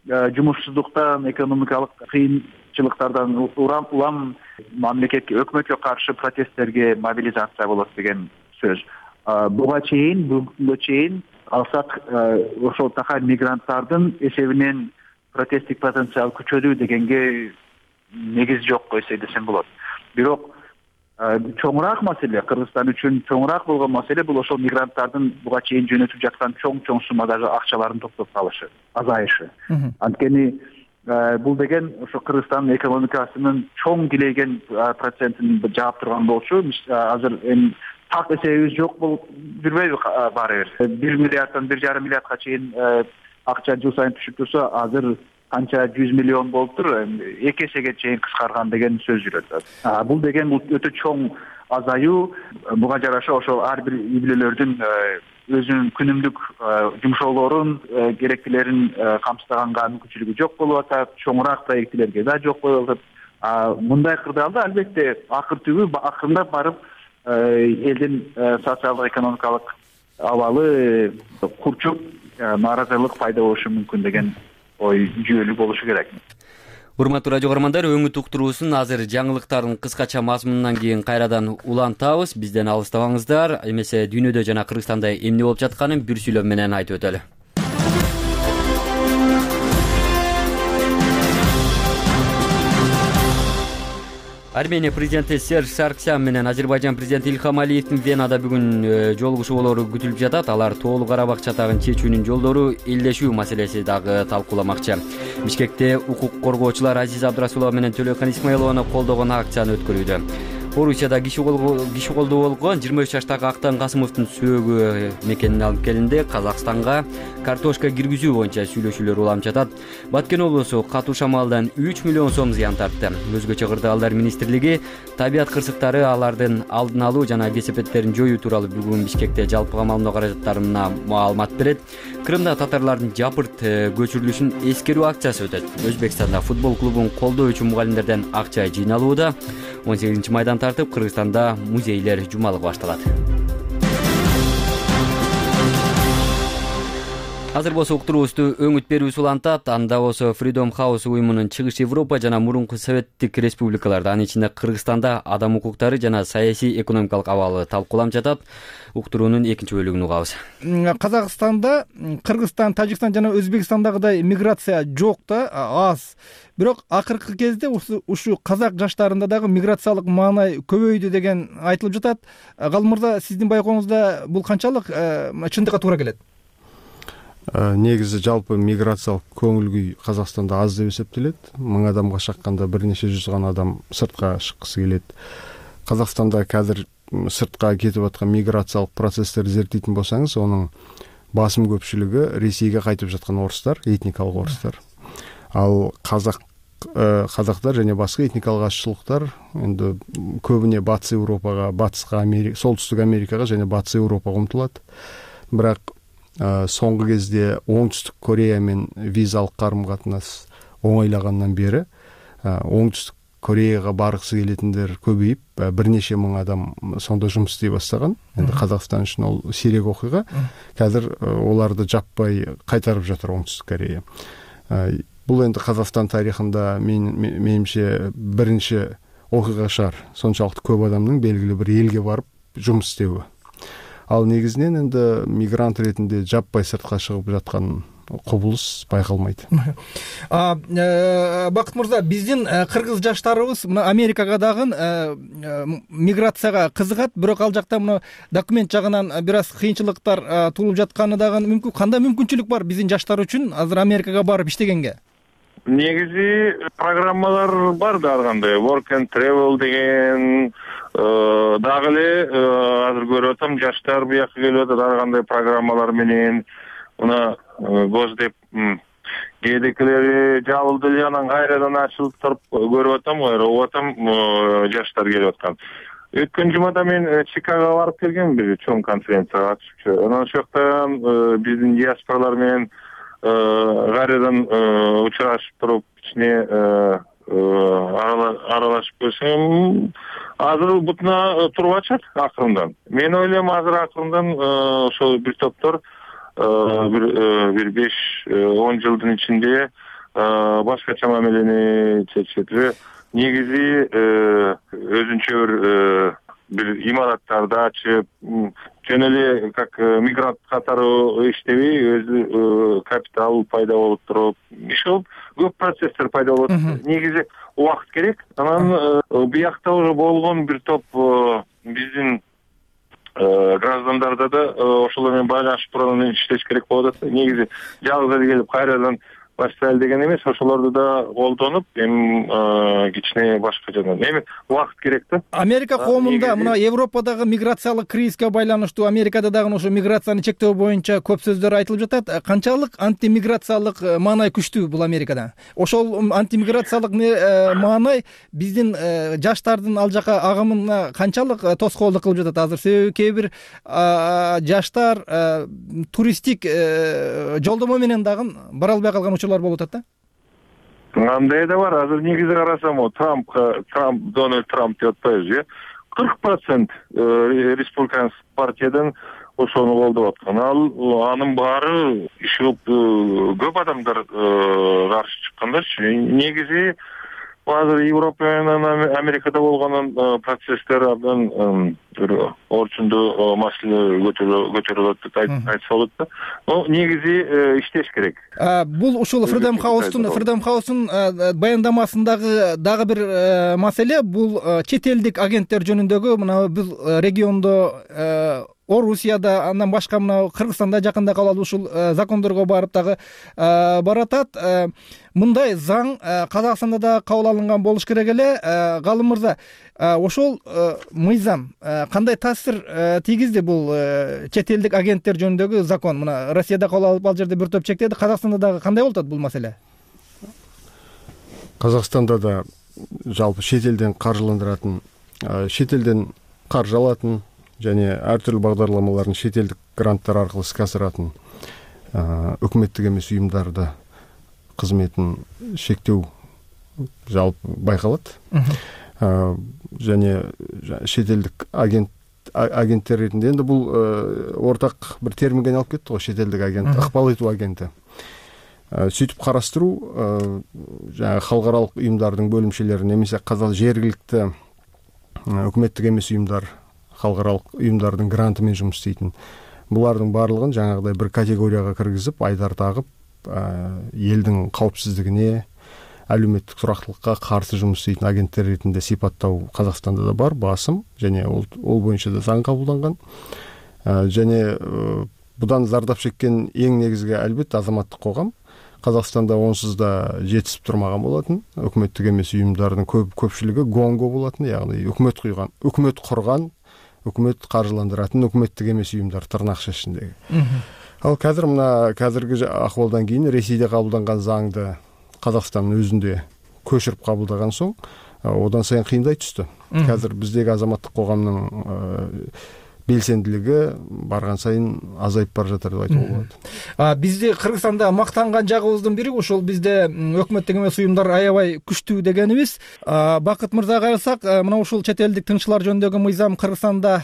жумушсуздуктан, экономикалык кыйынчылыктардан улам мамлекетке, өкмөткө каршы протесттерге мобилизация болот деген сөз. Буга чейин, бүгүнгө чейин алсак, ошол такай мигранттардын эсебинен протесттик потенциал күчөдү дегенге негиз жок койсо десем болот. Бирок чоңураак маселе, Кыргызстан үчүн чоңураак болгон маселе бул ошол мигранттардын буга чейин жөнөтүп жаткан чоң-чоң суммадагы акчаларын топтоп калышы, азайышы. Анткени бул деген ошо Кыргызстандын экономикасынын чоң килейген процентин жаап турган болчу. Азыр эми так эсебибиз жок болуп жүрбөйбү баары бир бир миллиарддан бир жарым миллиардка чейин акча жыл сайын түшүп турса, азыр канча жүз миллион болуптур, эки эсеге чейин кыскарган деген сөз жүрөт. Бул деген бул өтө чоң азаюу. Буга жараша ошол ар бир үй бүлөлөрдүн өзүнүн күнүмдүк жумшоолорун, керектилерин камсыздаганга мүмкүнчүлүгү жок болуп атат, чоңураак проектилерге да жок болуп атат. Мындай кырдаалда албетте акыр түбү акырындап барып элдин социалдык экономикалык абалы курчуп, нааразылык пайда болушу мүмкүн деген ой жүйөлүү болушу керек. Урматтуу радио көрөрмандар, өңүт уктуруусун азыр жаңылыктардын кыскача мазмунунан кийин кайрадан улантабыз. Бизден алыстабаңыздар. Эмесе дүйнөдө жана Кыргызстанда эмне болуп жатканын бир сүйлөм менен айтып өтөлү. Армения президенти Серж Сарксян менен Азербайжан президенти Илхам Алиевдин Венада бүгүн жолугушуу болору күтүлүп жатат. Алар Тоолуу Карабак чатагын чечүүнүн жолдору элдешүү маселеси дагы талкууламакчы. Бишкекте укук коргоочулар Азиза Абдрасулова менен Төлөкөн Исмаилованы колдогон акцияны өткөрүүдө. Орусияда киши колдоо болгон жыйырма үч жаштагы Актан Касымовдун сөөгү мекенин алып келинди. Казакстанга картошка киргизүү боюнча сүйлөшүүлөр уланып жатат. Баткен облусу катуу шамалдан үч миллион сом зыян тартты. Өзгөчө кырдаалдар министрлиги табият кырсыктары, алардын алдын алуу жана кесепеттерин жоюу тууралуу бүгүн Бишкекте жалпы камалдоо каражаттарына маалымат берет. Крымда татарлардын жапырт көчүрүлүшүн эскерүү акциясы өтөт. Өзбекстанда футбол клубун колдоо үчүн мугалимдерден акча жыйналууда. он сегизинчи майдан тартып, Кыргызстанда музейлер жумалыгы башталат. Азыр болсо уктуруубузду өңүт берүүсү улантат. Анда болсо Freedom House уюмунун Чыгыш Европа жана мурунку советтик республикаларда, анын ичинде Кыргызстанда адам укуктары жана саясий экономикалык абалы талкууланып жатат. Уктуруунун экинчи бөлүгүн угабыз. Казакстанда, Кыргызстан, Тажикстан жана Өзбекстандагыдай миграция жок да, аз. Бирок акыркы кезде ушу казак жаштарында дагы миграциялык маанай көбөйдү деген айтылып жатат. Галым мырза, сиздин байкооңузда бул канчалык чындыкка туура келет? Негизи жалпы миграциялык көңүл күй Казакстанда аз деп эсептелет. Миң адамга шакканда бир нече жүз гана адам сыртка чыккысы келет. Казакстанда казыр сыртка кетип аткан миграциялык процесстерди зерттейтин болсаңыз, анын басым көпчүлүгү Ресейге кайтып жаткан орустар, этникалык орустар. Ал казак казактар жана башка этникалык азчылыктар эми көбүнө Батыс Европага, Батыска, Америка, Солтүстүк Америкага жана Батыс Европага умтулат. Бирок соңку кезде Оңтүстүк Корея менен визалык карым-катнаш оңойлагандан бери Оңтүстүк Кореяга баргысы келетиндер көбөйүп, бир нече миң адам сонда жумуш истей баштаган. Эми Казакстан үчүн ол сирек окуйга. Азыр оларды жаппай кайтарып жатыр Оңтүстүк Корея. Бул энди Казакстан тарыхында менимче биринчи окуйга шаар. Сончалык көп адамдын белгилүү бир элге барып жумуш истеуи. Ал негизинен энди мигрант ретинде жаппай сыртка чыгып жаткан кубулуш байкалмайт. Бакыт мырза, биздин кыргыз жаштарыбыз мына Америкага дагы миграцияга кызыгат, бирок ал жакта мына документ жагынан бир аз кыйынчылыктар туулуп жатканы дагы мүмкүн. Кандай мүмкүнчүлүк бар биздин жаштар үчүн азыр Америкага барып иштегенге? Негизи программалар бар да, ар кандай work and travel деген дагы эле азыр көрүп атам, жаштар буяка келип атат ар кандай программалар менен. Мына Госдеп кээдекилери жабылды эле, анан кайрадан ачылып туруп көрүп атам, угуп атам, жаштар келип аткан. Өткөн жумада мен Чикагого барып келгем, бир чоң конференцияга катышчу. Анан ошол жактан биздин диаспоралар менен кайрадан учурашып туруп, ичине аралашып көрсөм, азыр бутуна туруп ачат акырындан. Мен ойлойм, азыр акырындан ошол бир топтор бир беш он жылдын ичинде башкача мамилени чечет. Негизи өзүнчө бир бир имараттарды ачып, жөн эле как мигрант катары иштебей, өзү капитал пайда болуп туруп, иши көп процесстер пайда болот. Негизи убакыт керек. Анан биякта уже болгон бир топ биздин граждандарда да ошолор менен байланышып туруп иштеш керек болуп атат. Негизи жалгыз эле келип кайрадан Австралия деген эмес, ошолорду да колдонуп, эми кичине башка жагдан эми убакыт керек да. Америка коомунда мына Европадагы миграциялык кризиске байланыштуу, Америкада дагы ошо миграцияны чектөө боюнча көп сөздөр айтылып жатат. Канчалык антимиграциялык маанай күчтүү бул Америкада? Ошол антимиграциялык маанай биздин жаштардын ал жака агымына канчалык тоскоолдук кылып жатат азыр? Себеби кээ бир жаштар туристтик жолдомо менен дагы бара албай калган учурлар болуп атат да. Андай да бар. Азыр негизи карасам, Трамп, Трамп, Дональд Трамп деп атпайбыз, э? кырк процент республиканский партиядан ошону колдоп аткан. Ал анын баары иш кылып көп адамдар каршы чыккандарчы. Негизи азыр Европа менен Америкада болгон процесстер абдан орчундуу маселе көтөрүлөт деп айтса болот да. Но негизи иштеш керек. Бул ушул Freedom House'тун Freedom House'тун баяндамасындагы дагы бир маселе бул чет элдик агенттер жөнүндөгү мына бул региондо Орусияда, андан башка мына Кыргызстанда жакында кабыл ушул закондорго барып дагы баратат. Мындай заң Казакстанда да кабыл алынган болуш керек эле. Галым мырза, ошол мыйзам кандай таасир тийгизди бул чет элдик агенттер жөнүндөгү закон? Мына Россияда кабыл алып ал жерде бир топ чектеди. Казакстанда дагы кандай болуп атат бул маселе? Казакстанда да жалпы чет элден каржыландыратын, чет элден каржы алатын және ар түрлүү багдарламаларын чет элдик гранттар аркылуу иске асыратын өкмөттүк эмес уюмдарды кызметін шектеу жалпы байкалат. Және чет элдик агент агенттер ретинде енді бул ортак бир терминге айналып кетти го, чет элдик агент, ыкпал этүү агенти. Сүйтүп караштыруу жаңы халыкаралык уюмдардын бөлүмчөлөрүн немесе казал жергиликтүү өкмөттүк эмес уюмдар, халыкаралык уюмдардын гранты менен жумуш иштейтин. Булардын баардыгын жаңагыдай бир категорияга киргизип, айдар тагып, элдин каопсиздигине, әлеуметтик турактылыкка каршы жумуш иштейтин агенттер ретинде сипаттоо Казакстанда да бар, басым, және ол, ол боюнча да заң кабылданган. Және будан зардап чеккен эң негизги албетте азаматтык коом. Казакстанда онсуз да жетишип турмаган болотун. Өкмөттүк эмес уюмдардын көп көпчүлүгү гонго болотун, ягни өкмөт куйган, өкмөт курган, өкмөт каржыландыратын өкмөттүк эмес уюмдар тырнак шешиндеги. Ал қазір мына қазіргі ахвалдан кейін Ресейде кабылданган заңды Казакстандын өзүндө көчүрүп кабылдаган соң, одан сайын кыйындай түстү. Қазір биздеги азаматтык коомдун белсендилиги барган сайын азайып бара жатыр деп айтууга болот. Бизде Кыргызстанда мактанган жагыбыздын бири ошол бизде өкмөттүк эмес уюмдар аябай күчтүү дегенибиз. Бакыт мырзага кайрылсак, мына ушул чет элдик тыңчылар жөнүндөгү мыйзам Кыргызстанда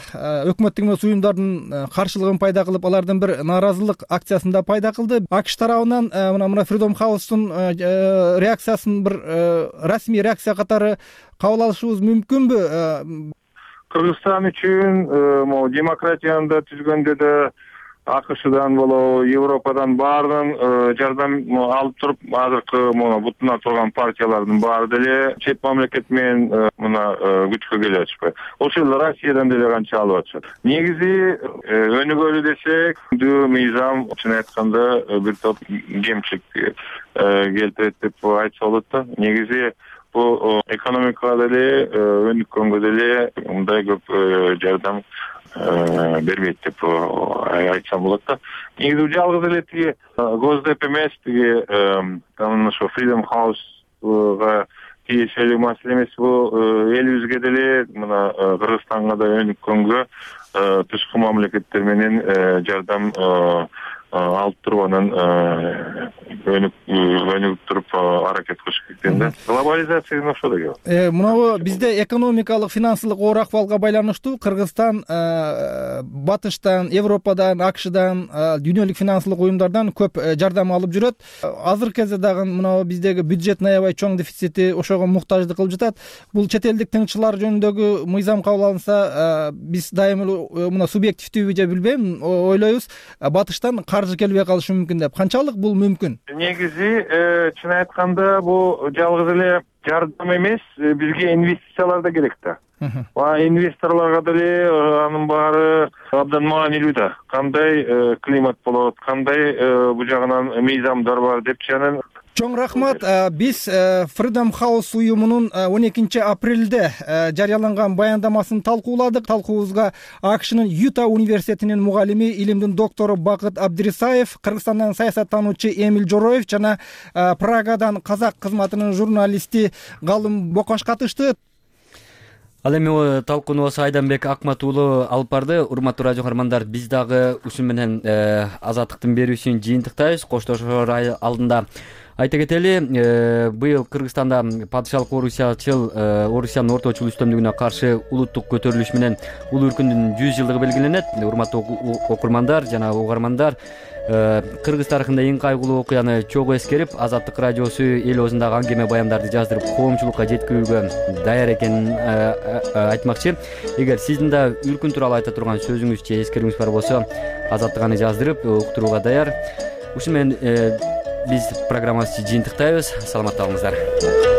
өкмөттүк эмес уюмдардын каршылыгын пайда кылып, алардын бир нааразылык акциясын да пайда кылды. АКШ тарабынан мына мына Freedom House'тун реакциясын бир расмий реакция катары кабыл алышыбыз мүмкүнбү? Кыргызстан үчүн могу демократияны да түзгөндө да АКШдан болобу, Европадан баардын жардам алып туруп, азыркы мына бутуна турган партиялардын баары деле чет мамлекет менен мына күчкө келип атышпайбы. Ошол Россиядан деле канча алып атышат. Негизи өнүгөлү десек, дүү мыйзам чын айтканда бир топ кемчилик келтирет деп айтса болот да. Негизи bu ekonomikada деле өнүккөнгө деле мындай көп жардам бербейт деп айтсам болот да. Негизи жалгыз эле тиги Госдеп эмес, тиги ошо Freedom House'га тиешелүү маселе эмес, бул элибизге деле мына Кыргызстанга да өнүккөнгө тышкы мамлекеттер менен жардам алып туруп анан өнүгүп туруп аракет кылыш керек да. Глобализация ошо да келет. Мына бизде экономикалык, финансылык оор акыбалга байланыштуу Кыргызстан батыштан, Европадан, АКШдан, дүйнөлүк финансылык уюмдардан көп жардам алып жүрөт. Азыркы кезде дагы мына биздеги бюджеттин аябай чоң дефицити ошого муктаждык кылып жатат. Бул чет элдик тыңчылар жөнүндөгү мыйзам кабыл алынса, биз дайыма мына субъективдүүбү же билбейм, ойлойбуз, батыштан каржы келбей калышы мүмкүн деп. Канчалык бул мүмкүн? Негизи чын айтканда бул жалгыз эле жардам эмес, бизге инвестициялар да керек да. инвесторлорго деле анын баары абдан маанилүү да. Кандай климат болот, кандай бул жагынан мыйзамдар бар депчи. Анан чоң рахмат. Биз Freedom House уюмунун он экинчи апрелде жарыяланган баяндамасын талкууладык. Талкуубузга АКШнын Юта университетинин мугалими, илимдин доктору Бакыт Абдирисаев, Кыргызстандан саясаттануучу Эмил Жороев жана Прагадан казак кызматынын журналисти Галым Бокаш катышты. Ал эми талкуунубузду Айданбек Акмат уулу алып барды. Урматтуу радио каармандар, биз дагы ушун менен азаттыктын берүүсүн жыйынтыктайбыз. Коштошоор алдында айта кетели, быйыл Кыргызстанда падышалык орусячыл Орусиянын орточул үстөмдүгүнө каршы улуттук көтөрүлүш менен улуу өркүндүн жүз жылдыгы белгиленет. Урматтуу окурмандар жана угармандар, Кыргыз тарыхында эң кайгылуу окуяны чогуу эскерип, Азаттык радиосу эл оозундагы аңгеме баяндарды жаздырып, коомчулукка жеткирүүгө даяр экенин айтмакчы. Эгер сиздин да үркүн тууралуу айта турган сөзүңүз же эскеруңүз бар болсо, Азаттык аны жаздырып уктурууга даяр. Ушу менен биз программабызды жыйынтыктайбыз. Саламатта болуңуздар.